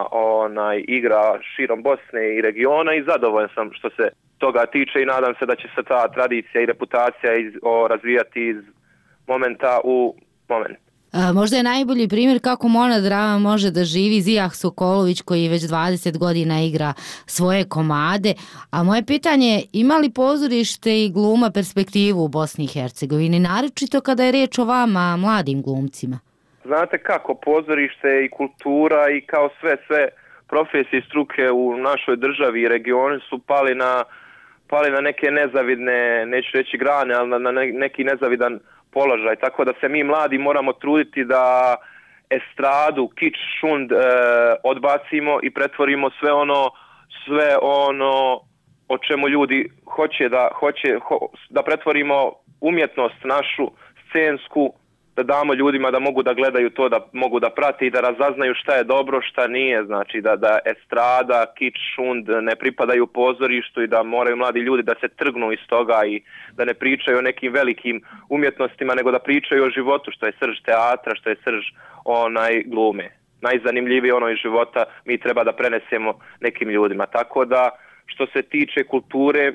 igra širom Bosne i regiona i zadovoljan sam što se toga tiče i nadam se da će se ta tradicija i reputacija razvijati iz momenta u moment. Možda je najbolji primjer kako monodrama može da živi Zijah Sokolović, koji već 20 godina igra svoje komade. A moje pitanje je, ima li pozorište i gluma perspektivu u Bosni i Hercegovini, naročito kada je riječ o vama, mladim glumcima? Znate kako, pozorište i kultura i kao sve profesije i struke u našoj državi i regionu su pali na neke nezavidne, neću reći grane, ali na neki nezavidan položaj, tako da se mi mladi moramo truditi da estradu, kič, šund odbacimo i pretvorimo sve ono o čemu ljudi hoće da pretvorimo umjetnost našu scensku, da damo ljudima da mogu da gledaju to, da mogu da prate i da razaznaju šta je dobro, šta nije. Znači da estrada, kič, šund ne pripadaju pozorištu i da moraju mladi ljudi da se trgnu iz toga i da ne pričaju o nekim velikim umjetnostima, nego da pričaju o životu, što je srž teatra, što je srž glume. Najzanimljivije ono iz života mi treba da prenesemo nekim ljudima. Tako da što se tiče kulture,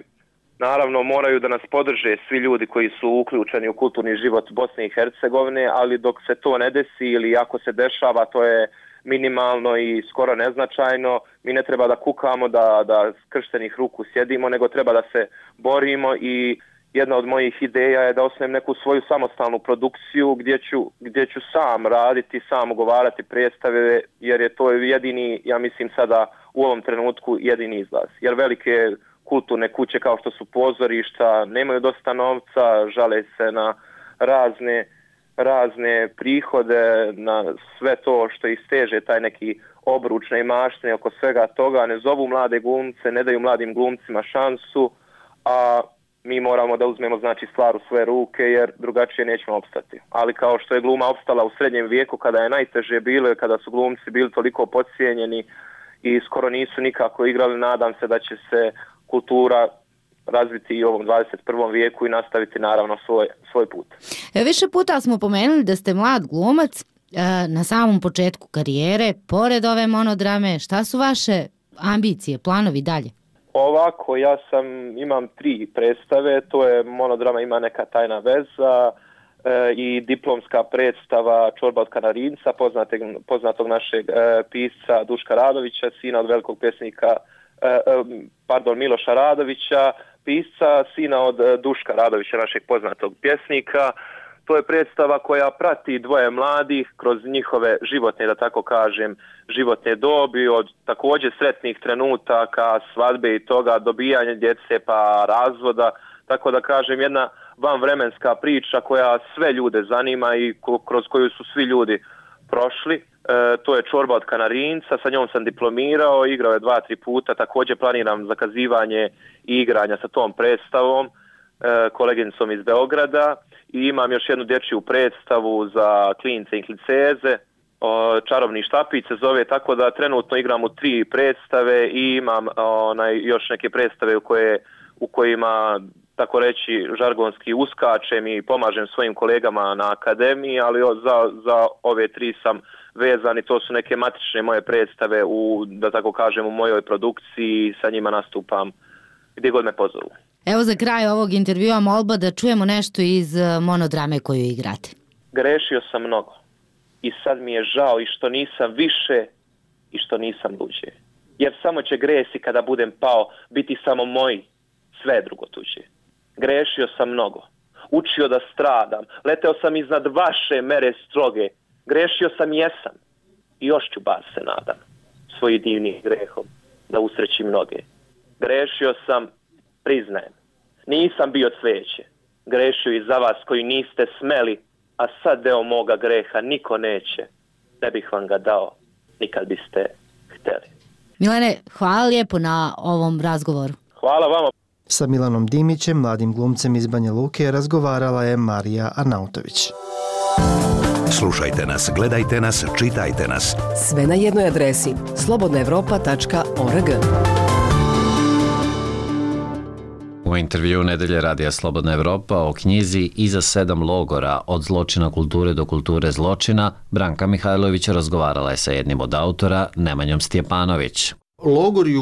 naravno moraju da nas podrže svi ljudi koji su uključeni u kulturni život Bosne i Hercegovine, ali dok se to ne desi ili ako se dešava, to je minimalno i skoro neznačajno. Mi ne treba da kukamo, da skrštenih ruku sjedimo, nego treba da se borimo i jedna od mojih ideja je da osnujem neku svoju samostalnu produkciju gdje ću sam raditi, sam ugovarati predstave, jer je to jedini, ja mislim sada u ovom trenutku jedini izlaz. Jer velike kulturne kuće kao što su pozorišta nemaju dosta novca, žale se na razne prihode, na sve to što ih steže taj neki obruč neimaštine oko svega toga, ne zovu mlade glumce, ne daju mladim glumcima šansu, a mi moramo da uzmemo znači stvar u svoje ruke jer drugačije nećemo opstati. Ali kao što je gluma opstala u srednjem vijeku kada je najteže bilo i kada su glumci bili toliko podcijenjeni i skoro nisu nikako igrali, nadam se da će se kultura razviti i u ovom 21. vijeku i nastaviti naravno svoj put. Više puta smo pomenuli da ste mlad glumac na samom početku karijere. Pored ove monodrame, šta su vaše ambicije, planovi dalje? Ovako, imam 3 predstave, to je monodrama Ima neka tajna veza i diplomska predstava Čorba od Kanarinca, poznatog našeg pisca Duška Radovića, sina od velikog pjesnika, Miloša Radovića, pisca, sina od Duška Radovića, našeg poznatog pjesnika. To je predstava koja prati dvoje mladih kroz njihove životne, da tako kažem, životne dobi, od također sretnih trenutaka, svadbe i toga, dobijanja djece pa razvoda, tako da kažem jedna vanvremenska priča koja sve ljude zanima i kroz koju su svi ljudi prošli. To je Čorba od Kanarinca, sa njom sam diplomirao, igrao je 2-3 puta, također planiram zakazivanje i igranja sa tom predstavom, koleginicom iz Beograda, i imam još jednu dječju predstavu za klince i klinceze, Čarobni štapić se zove, tako da trenutno igram u 3 predstave i imam još neke predstave u kojima, tako reći, žargonski uskačem i pomažem svojim kolegama na akademiji, ali za ove 3 sam vezan i to su neke matične moje predstave da tako kažem, u mojoj produkciji, sa njima nastupam gdje god me pozovu. Evo za kraj ovog intervjua molba da čujemo nešto iz monodrame koju igrate. Grešio sam mnogo i sad mi je žao i što nisam više i što nisam luđe. Jer samo će gresi kada budem pao biti samo moji, sve drugo tuđe. Grešio sam mnogo, učio da stradam, leteo sam iznad vaše mere stroge, grešio sam jesam i još ću bar se nadam svojim divnim grehom da usrećim mnoge. Grešio sam, priznajem, nisam bio cveće, grešio i za vas koji niste smeli, a sad deo moga greha niko neće, ne bih vam ga dao nikad biste hteli. Milane, hvala lijepo na ovom razgovoru. Hvala vama. Sa Milanom Dimićem, mladim glumcem iz Banja Luke, razgovarala je Marija Arnautović. Slušajte nas, gledajte nas, čitajte nas. Sve na jednoj adresi slobodnaevropa.org. U intervju Nedelje radija Slobodna Evropa o knjizi Iza 7 logora, od zločina kulture do kulture zločina, Branka Mihajlović razgovarala je sa jednim od autora, Nemanjom Stjepanović. Logori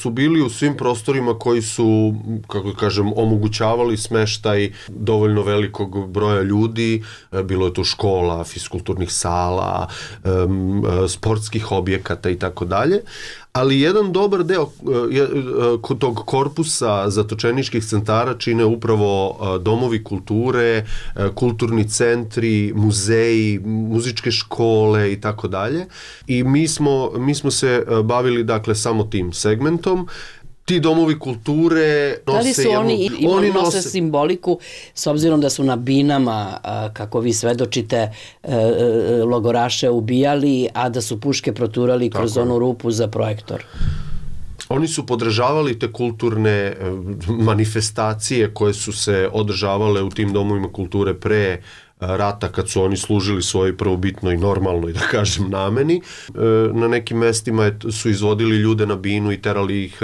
su bili u svim prostorima koji su, kako kažem, omogućavali smeštaj dovoljno velikog broja ljudi. Bilo je tu škola, fiskulturnih sala, sportskih objekata i tako dalje. Ali jedan dobar deo tog korpusa zatočeničkih centara čine upravo domovi kulture, kulturni centri, muzeji, muzičke škole i tako dalje. I mi smo se bavili dakle samo tim segmentom. ti domovi kulture nose da li su oni nose simboliku, s obzirom da su na binama, kako vi svedočite, logoraše ubijali, a da su puške proturali kroz onu rupu za projektor? Oni su podržavali te kulturne manifestacije koje su se održavale u tim domovima kulture pre rata, kad su oni služili svojoj prvobitnoj normalnoj, da kažem, nameni. Na nekim mestima su izvodili ljude na binu i terali ih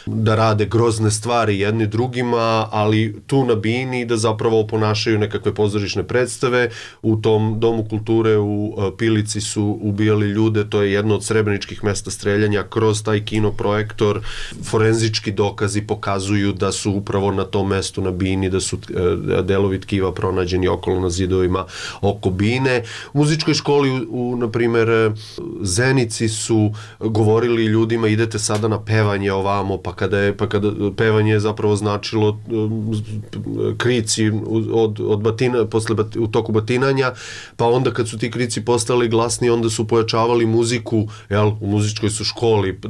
da rade grozne stvari jedni drugima, ali tu na bini da zapravo ponašaju nekakve pozorišne predstave. U tom domu kulture u Pilici su ubijali ljude, to je jedno od srebreničkih mesta streljanja, kroz taj kinoprojektor. Forenzički dokazi pokazuju da su upravo na tom mestu na bini, da su delovi tkiva pronađeni okolo na zidovima oko bine. U muzičkoj školi na primjer Zenici su govorili ljudima idete sada na pevanje ovamo, pa kada pevanje je zapravo značilo krici od batina, u toku batinanja, pa onda kad su ti krici postali glasni, onda su pojačavali muziku, u muzičkoj su školi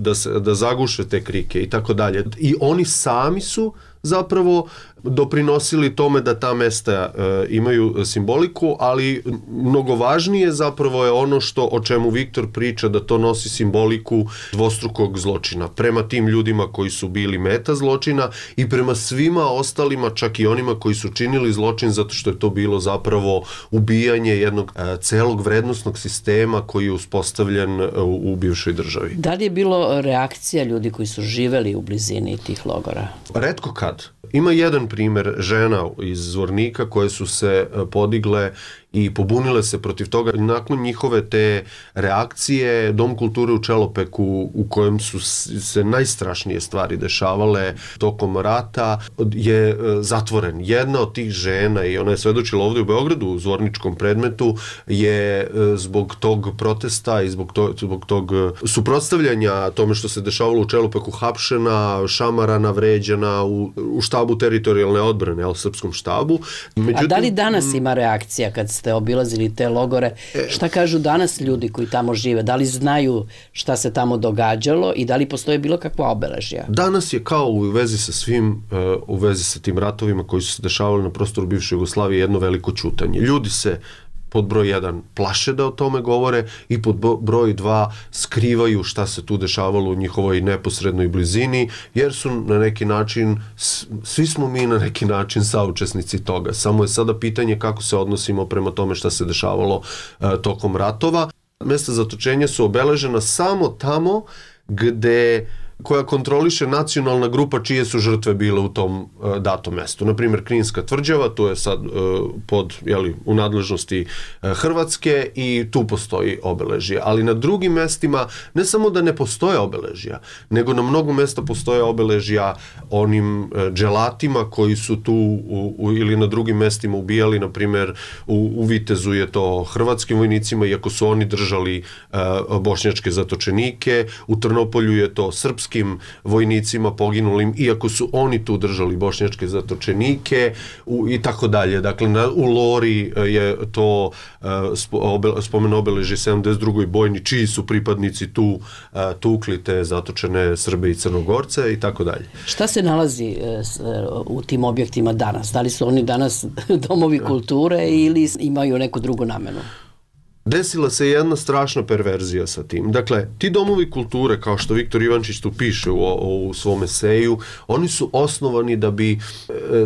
da zaguše te krike i tako dalje. I oni sami su zapravo doprinosili tome da ta mesta imaju simboliku, ali mnogo važnije zapravo je ono o čemu Viktor priča, da to nosi simboliku dvostrukog zločina prema tim ljudima koji su bili meta zločina i prema svima ostalima, čak i onima koji su činili zločin, zato što je to bilo zapravo ubijanje jednog celog vrednosnog sistema koji je uspostavljen u bivšoj državi. Da li je bilo reakcija ljudi koji su živeli u blizini tih logora? Retko kad. Ima jedan primjer žena iz Zvornika koje su se podigle i pobunile se protiv toga. Nakon njihove te reakcije, Dom kulture u Čelopeku, u kojem su se najstrašnije stvari dešavale tokom rata, je zatvoren. Jedna od tih žena, i ona je svedočila ovdje u Beogradu u zvorničkom predmetu, je zbog tog protesta i zbog tog suprotstavljanja tome što se dešavalo u Čelopeku hapšena, šamarana, vređana u štabu teritorijalne odbrane, srpskom štabu. Međutim, a da li danas ima reakcija kad ste obilazili te logore? Šta kažu danas ljudi koji tamo žive? Da li znaju šta se tamo događalo i da li postoje bilo kakva obeležja? Danas je kao u vezi sa svim, u vezi sa tim ratovima koji su se dešavali na prostoru bivše Jugoslavije, jedno veliko ćutanje. Ljudi se pod broj 1 plaše da o tome govore i pod broj 2 skrivaju šta se tu dešavalo u njihovoj neposrednoj blizini, jer su na neki način, svi smo mi na neki način saučesnici toga. Samo je sada pitanje kako se odnosimo prema tome šta se dešavalo tokom ratova. Mesta zatočenja su obeležena samo tamo koja kontroliše nacionalna grupa čije su žrtve bile u tom datom mestu. Naprimjer, Kninska tvrđava, to je sad u nadležnosti Hrvatske i tu postoji obeležje. Ali na drugim mestima ne samo da ne postoje obeležja, nego na mnogo mesta postoje obeležja onim dželatima koji su tu ili na drugim mestima ubijali. Naprimjer, u Vitezu je to hrvatskim vojnicima, iako su oni držali bošnjačke zatočenike. U Trnopolju je to srpskim vojnicima poginulim, iako su oni tu držali bošnjačke zatočenike i tako dalje. Dakle, u Lori je to spomen obeležje 72. bojni, čiji su pripadnici tu tukli te zatočene Srbe i Crnogorce i tako dalje. Šta se nalazi u tim objektima danas? Da li su oni danas domovi kulture ili imaju neku drugu namenu? Desila se jedna strašna perverzija sa tim. Dakle, ti domovi kulture, kao što Viktor Ivančić tu piše u svom eseju, oni su osnovani da bi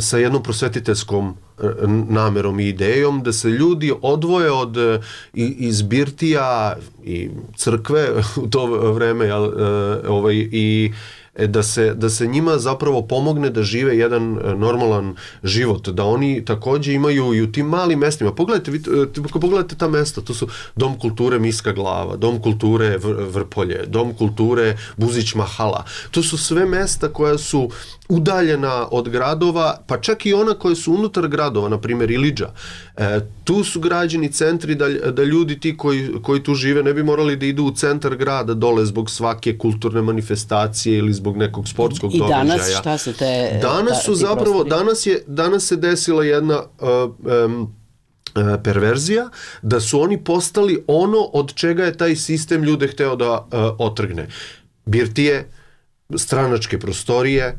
sa jednom prosvetiteljskom namerom i idejom da se ljudi odvoje od iz birtija i crkve u to vreme i da se njima zapravo pomogne da žive jedan normalan život, da oni također imaju i u tim malim mestima. Pogledajte ta mesta, to su Dom kulture Miska Glava, Dom kulture Vrpolje, Dom kulture Buzić Mahala. To su sve mesta koja su udaljena od gradova, pa čak i ona koja su unutar gradova, na primjer Ilidža. Tu su građeni centri da ljudi ti koji tu žive ne bi morali da idu u centar grada dole zbog svake kulturne manifestacije ili zbog nekog sportskog događaja. I danas šta se te... Danas se desila jedna perverzija, da su oni postali ono od čega je taj sistem ljude hteo da otrgne. Birtije, stranačke prostorije.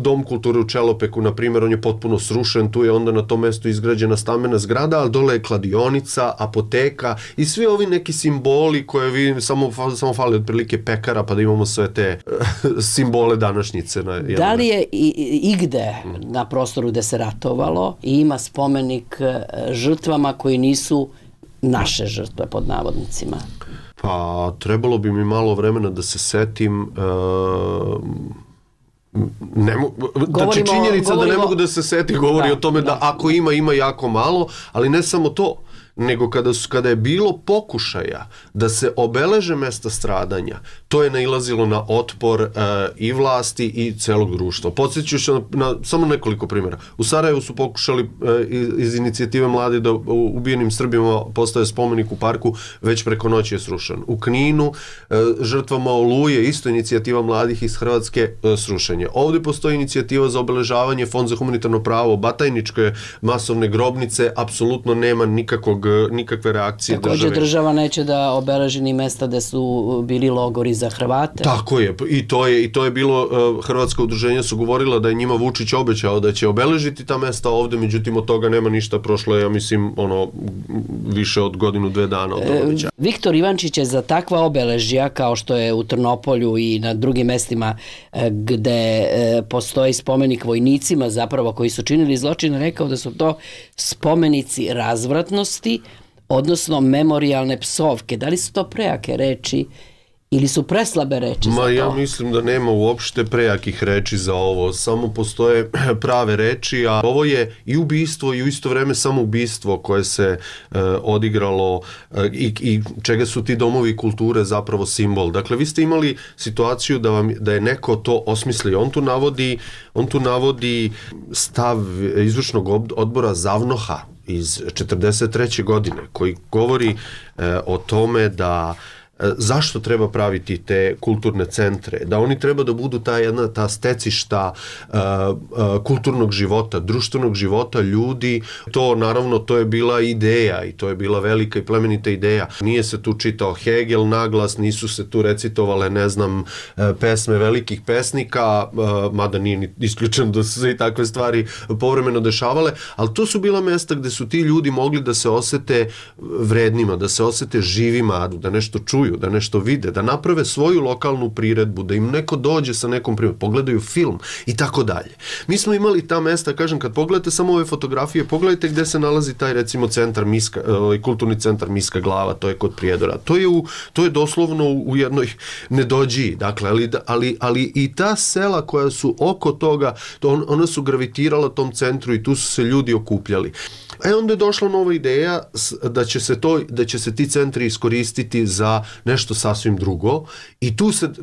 Dom kulture u Čelopeku, na primjer, on je potpuno srušen, tu je onda na tom mjestu izgrađena stambena zgrada, ali dole je kladionica, apoteka i svi ovi neki simboli koje vi samo fali otprilike pekara pa da imamo sve te simbole današnjice. Da li je igde na prostoru gde se ratovalo i ima spomenik žrtvama koji nisu naše žrtve pod navodnicima? Pa trebalo bi mi malo vremena da se setim. Znači činjenica da ne mogu da se seti govori o tome da ako ima jako malo, ali ne samo to, nego kada je bilo pokušaja da se obeleže mesta stradanja, to je nailazilo na otpor i vlasti i celog društva. Podsjeću se na samo nekoliko primjera. U Sarajevu su pokušali iz inicijative mladi da ubijenim Srbima postaje spomenik u parku, već preko noći je srušen. U Kninu žrtvama Oluje, isto inicijativa mladih iz Hrvatske, srušenje. Ovdje postoji inicijativa za obeležavanje, Fond za humanitarno pravo, Batajničke masovne grobnice, apsolutno nema nikakve reakcije države. Također država neće da obeleži ni mesta gde su bili logori za Hrvate. Tako je, i to je bilo, Hrvatska udruženja su govorila da je njima Vučić obećao da će obeležiti ta mesta ovde, međutim od toga nema ništa, prošlo je, ja mislim, više od godinu, 2 dana od obećanja. Viktor Ivančić je za takva obeležja, kao što je u Trnopolju i na drugim mestima gde postoji spomenik vojnicima zapravo koji su činili zločine, rekao da su to spomenici razvratnosti, odnosno memorijalne psovke. Da li su to prejake reči ili su preslabe reči za to? Ja mislim da nema uopšte prejakih reči za ovo, samo postoje prave reči, a ovo je i ubistvo i u isto vreme samoubistvo koje se odigralo i čega su ti domovi kulture zapravo simbol. Dakle, vi ste imali situaciju da je neko to osmislio. On tu navodi stav izvršnog odbora Zavnoha iz 1943. godine koji govori o tome da zašto treba praviti te kulturne centre, da oni treba da budu ta stecišta kulturnog života, društvenog života ljudi. To naravno, to je bila ideja i to je bila velika i plemenita ideja. Nije se tu čitao Hegel naglas, nisu se tu recitovale, pesme velikih pesnika, mada nije ni isključeno da su se i takve stvari povremeno dešavale, ali to su bila mesta gde su ti ljudi mogli da se osete vrednima, da se osete živima, da nešto čuju, da nešto vide, da naprave svoju lokalnu priredbu, da im neko dođe sa nekom priredbom, pogledaju film i tako dalje. Mi smo imali ta mesta, kažem, kad pogledate samo ove fotografije, pogledajte gde se nalazi taj, recimo, kulturni centar Miska Glava, to je kod Prijedora. To je doslovno u jednoj nedođiji, dakle, ali i ta sela koja su oko toga, ona su gravitirala tom centru i tu su se ljudi okupljali. Onda je došla nova ideja da će se ti centri iskoristiti za nešto sasvim drugo i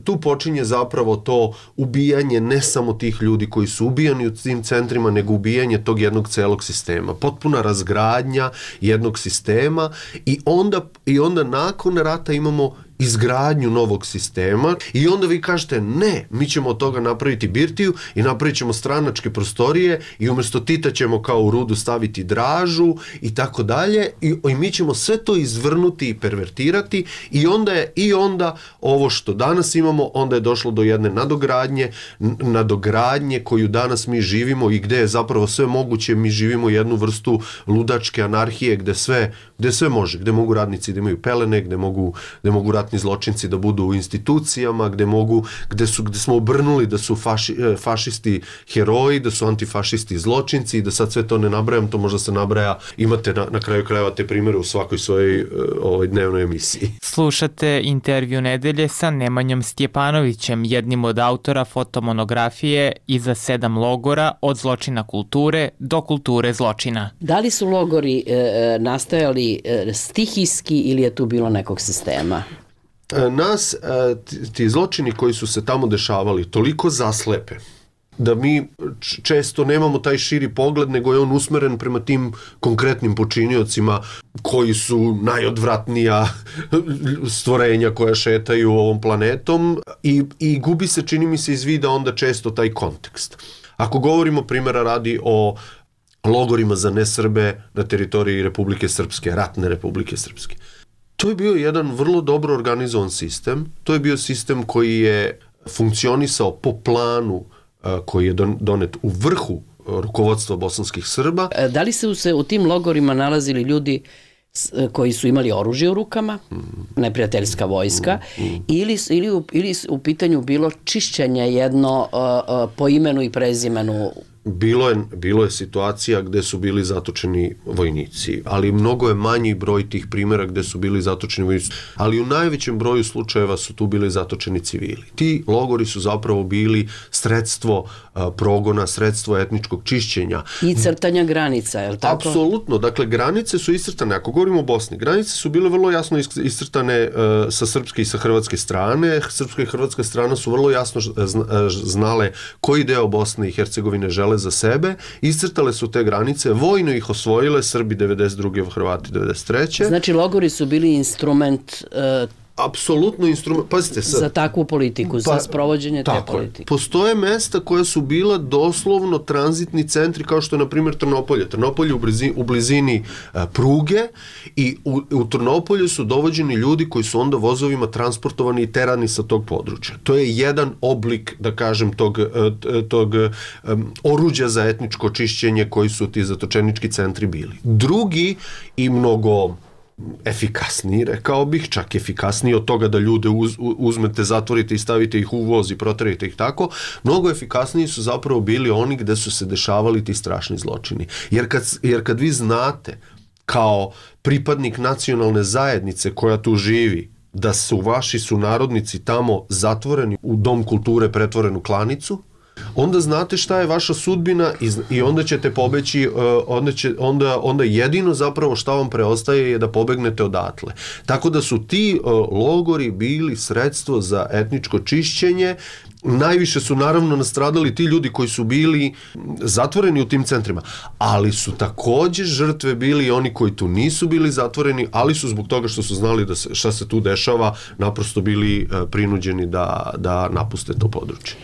tu počinje zapravo to ubijanje ne samo tih ljudi koji su ubijani u tim centrima, nego ubijanje tog jednog celog sistema. Potpuna razgradnja jednog sistema i onda nakon rata imamo izgradnju novog sistema i onda vi kažete ne, mi ćemo od toga napraviti birtiju i napravit ćemo stranačke prostorije i umjesto Tita ćemo kao u Rudu staviti Dražu i tako dalje i mi ćemo sve to izvrnuti i pervertirati i onda ovo što danas imamo, onda je došlo do jedne nadogradnje koju danas mi živimo i gde je zapravo sve moguće, mi živimo jednu vrstu ludačke anarhije gde sve može, gde mogu radnici da imaju pelene, gde mogu ratni zločinci da budu u institucijama, gde smo obrnuli da su fašisti heroji, da su antifašisti zločinci i da sad sve to ne nabrajam, to možda se nabraja, imate na kraju krajeva te primere u svakoj svojoj dnevnoj emisiji. Slušate intervju nedelje sa Nemanjom Stjepanovićem, jednim od autora fotomonografije Iza 7 logora, od zločina kulture do kulture zločina. Da li su logori nastajali stihijski ili je tu bilo nekog sistema? Nas, ti zločini koji su se tamo dešavali, toliko zaslepe da mi često nemamo taj širi pogled, nego je on usmeren prema tim konkretnim počiniocima koji su najodvratnija stvorenja koja šetaju ovom planetom i gubi se, čini mi se, iz vida onda često taj kontekst. Ako govorimo, primjera radi, o logorima za nesrbe na teritoriji Republike Srpske, ratne Republike Srpske, to je bio jedan vrlo dobro organizovan sistem. To je bio sistem koji je funkcionisao po planu koji je donet u vrhu rukovodstva bosanskih Srba. Da li su se u tim logorima nalazili ljudi koji su imali oružje u rukama, neprijateljska vojska, ili u pitanju bilo čišćenje jedno po imenu i prezimenu? Bilo je situacija gde su bili zatočeni vojnici, ali mnogo je manji broj tih primjera gde su bili zatočeni vojnici, ali u najvećem broju slučajeva su tu bili zatočeni civili. Ti logori su zapravo bili sredstvo progona, sredstvo etničkog čišćenja. I crtanja granica, je li tako? Apsolutno, dakle granice su iscrtane, ako govorimo o Bosni, granice su bile vrlo jasno iscrtane sa srpske i sa hrvatske strane. Srpska i hrvatska strana su vrlo jasno znale koji deo Bosne i Hercegovine žele za sebe, iscrtale su te granice, vojno ih osvojile, Srbi 92. Hrvati 93. Znači logori su bili instrument apsolutno instrument, pazite sad, za takvu politiku, za sprovođenje te politike. Postoje mesta koja su bila doslovno tranzitni centri, kao što je na primjer Trnopolje. Trnopolje u blizini pruge i u Trnopolju su dovođeni ljudi koji su onda vozovima transportovani i terani sa tog područja. To je jedan oblik, da kažem, tog oruđa za etničko čišćenje koji su ti zatočenički centri bili. Drugi i mnogo efikasniji, rekao bih, čak efikasniji od toga da ljude uzmete, zatvorite i stavite ih u voz i proterite ih tako, mnogo efikasniji su zapravo bili oni gde su se dešavali ti strašni zločini. Jer kad vi znate kao pripadnik nacionalne zajednice koja tu živi, da su vaši sunarodnici tamo zatvoreni u dom kulture pretvorenu klanicu, onda znate šta je vaša sudbina i onda ćete pobeći, onda jedino zapravo šta vam preostaje je da pobegnete odatle. Tako da su ti logori bili sredstvo za etničko čišćenje. Najviše su naravno nastradali ti ljudi koji su bili zatvoreni u tim centrima, ali su također žrtve bili oni koji tu nisu bili zatvoreni, ali su zbog toga što su znali da šta se tu dešava, naprosto bili prinuđeni da napuste to područje.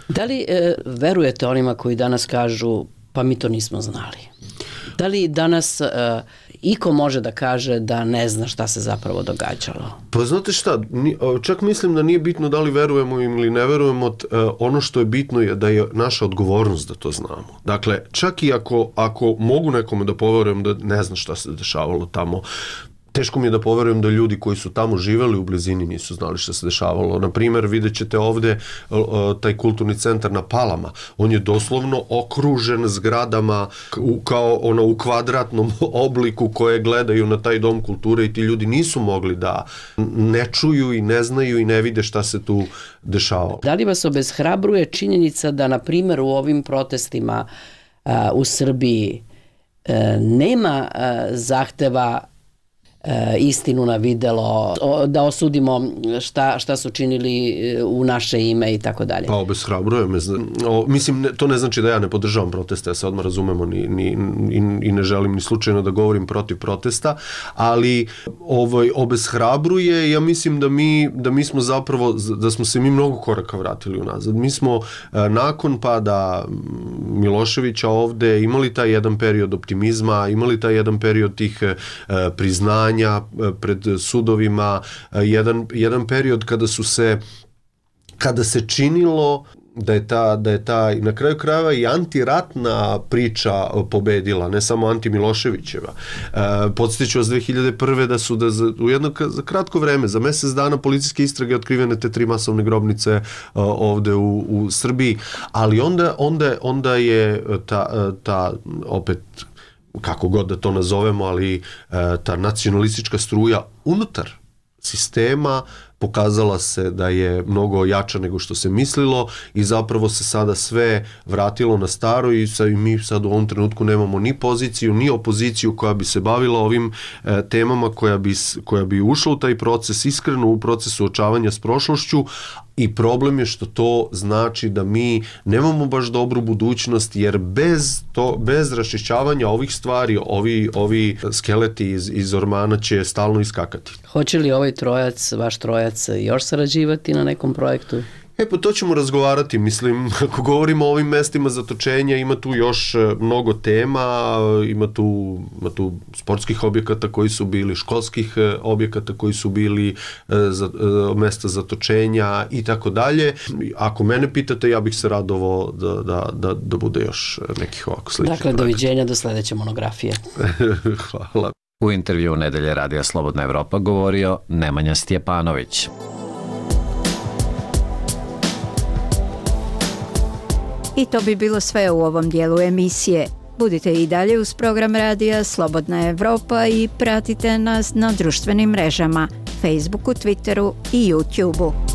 Da li verujete onima koji danas kažu pa mi to nismo znali? Da li danas iko može da kaže da ne zna šta se zapravo događalo? Pa znate šta, čak mislim da nije bitno da li verujemo im ili ne verujemo, ono što je bitno je da je naša odgovornost da to znamo. Dakle, čak i ako mogu nekome da poverujem da ne zna šta se dešavalo tamo, teško mi je da poverujem da ljudi koji su tamo živeli u blizini nisu znali šta se dešavalo. Na primjer, vidjet ćete ovde taj kulturni centar na Palama. On je doslovno okružen zgradama kao u kvadratnom obliku koje gledaju na taj dom kulture i ti ljudi nisu mogli da ne čuju i ne znaju i ne vide šta se tu dešavalo. Da li vas obeshrabruje činjenica da, na primjer, u ovim protestima u Srbiji nema zahteva istinu na videlo, da osudimo šta su činili u naše ime i tako dalje? Pa obeshrabruje me. Mislim, to ne znači da ja ne podržavam proteste, ja se odmah razumemo i ne želim ni slučajno da govorim protiv protesta, ali obeshrabruje. Ja mislim da mi smo zapravo, da smo se mi mnogo koraka vratili unazad. Mi smo nakon pada Miloševića ovde imali taj jedan period optimizma, imali taj jedan period tih priznanja pred sudovima, jedan period kada se činilo da je ta na kraju krajeva i antiratna priča pobedila, ne samo anti-Miloševićeva. Podsjetiću vas 2001. da su u jedno za kratko vreme, za mjesec dana, policijske istrage otkrivene te 3 masovne grobnice ovde u Srbiji, ali onda je ta opet, kako god da to nazovemo, ali ta nacionalistička struja unutar sistema pokazala se da je mnogo jača nego što se mislilo i zapravo se sada sve vratilo na staro i mi sad u ovom trenutku nemamo ni poziciju, ni opoziciju koja bi se bavila ovim temama, koja bi ušla u taj proces, iskreno u proces suočavanja s prošlošću, i problem je što to znači da mi nemamo baš dobru budućnost, jer bez raščišćavanja ovih stvari, ovi skeleti iz ormana će stalno iskakati. Hoće li ovaj trojac, vaš trojac, još sarađivati na nekom projektu? Pa to ćemo razgovarati, mislim, ako govorimo o ovim mestima zatočenja, ima tu još mnogo tema, ima tu sportskih objekata koji su bili, školskih objekata koji su bili mesta zatočenja i tako dalje. Ako mene pitate, ja bih se radovao da bude još nekih ovako sličnih projekata. Doviđenja do sledeće monografije. Hvala. U intervju Nedelje Radija Slobodna Evropa govorio Nemanja Stjepanović. I to bi bilo sve u ovom dijelu emisije. Budite i dalje uz program Radija Slobodna Evropa i pratite nas na društvenim mrežama, Facebooku, Twitteru i YouTubeu.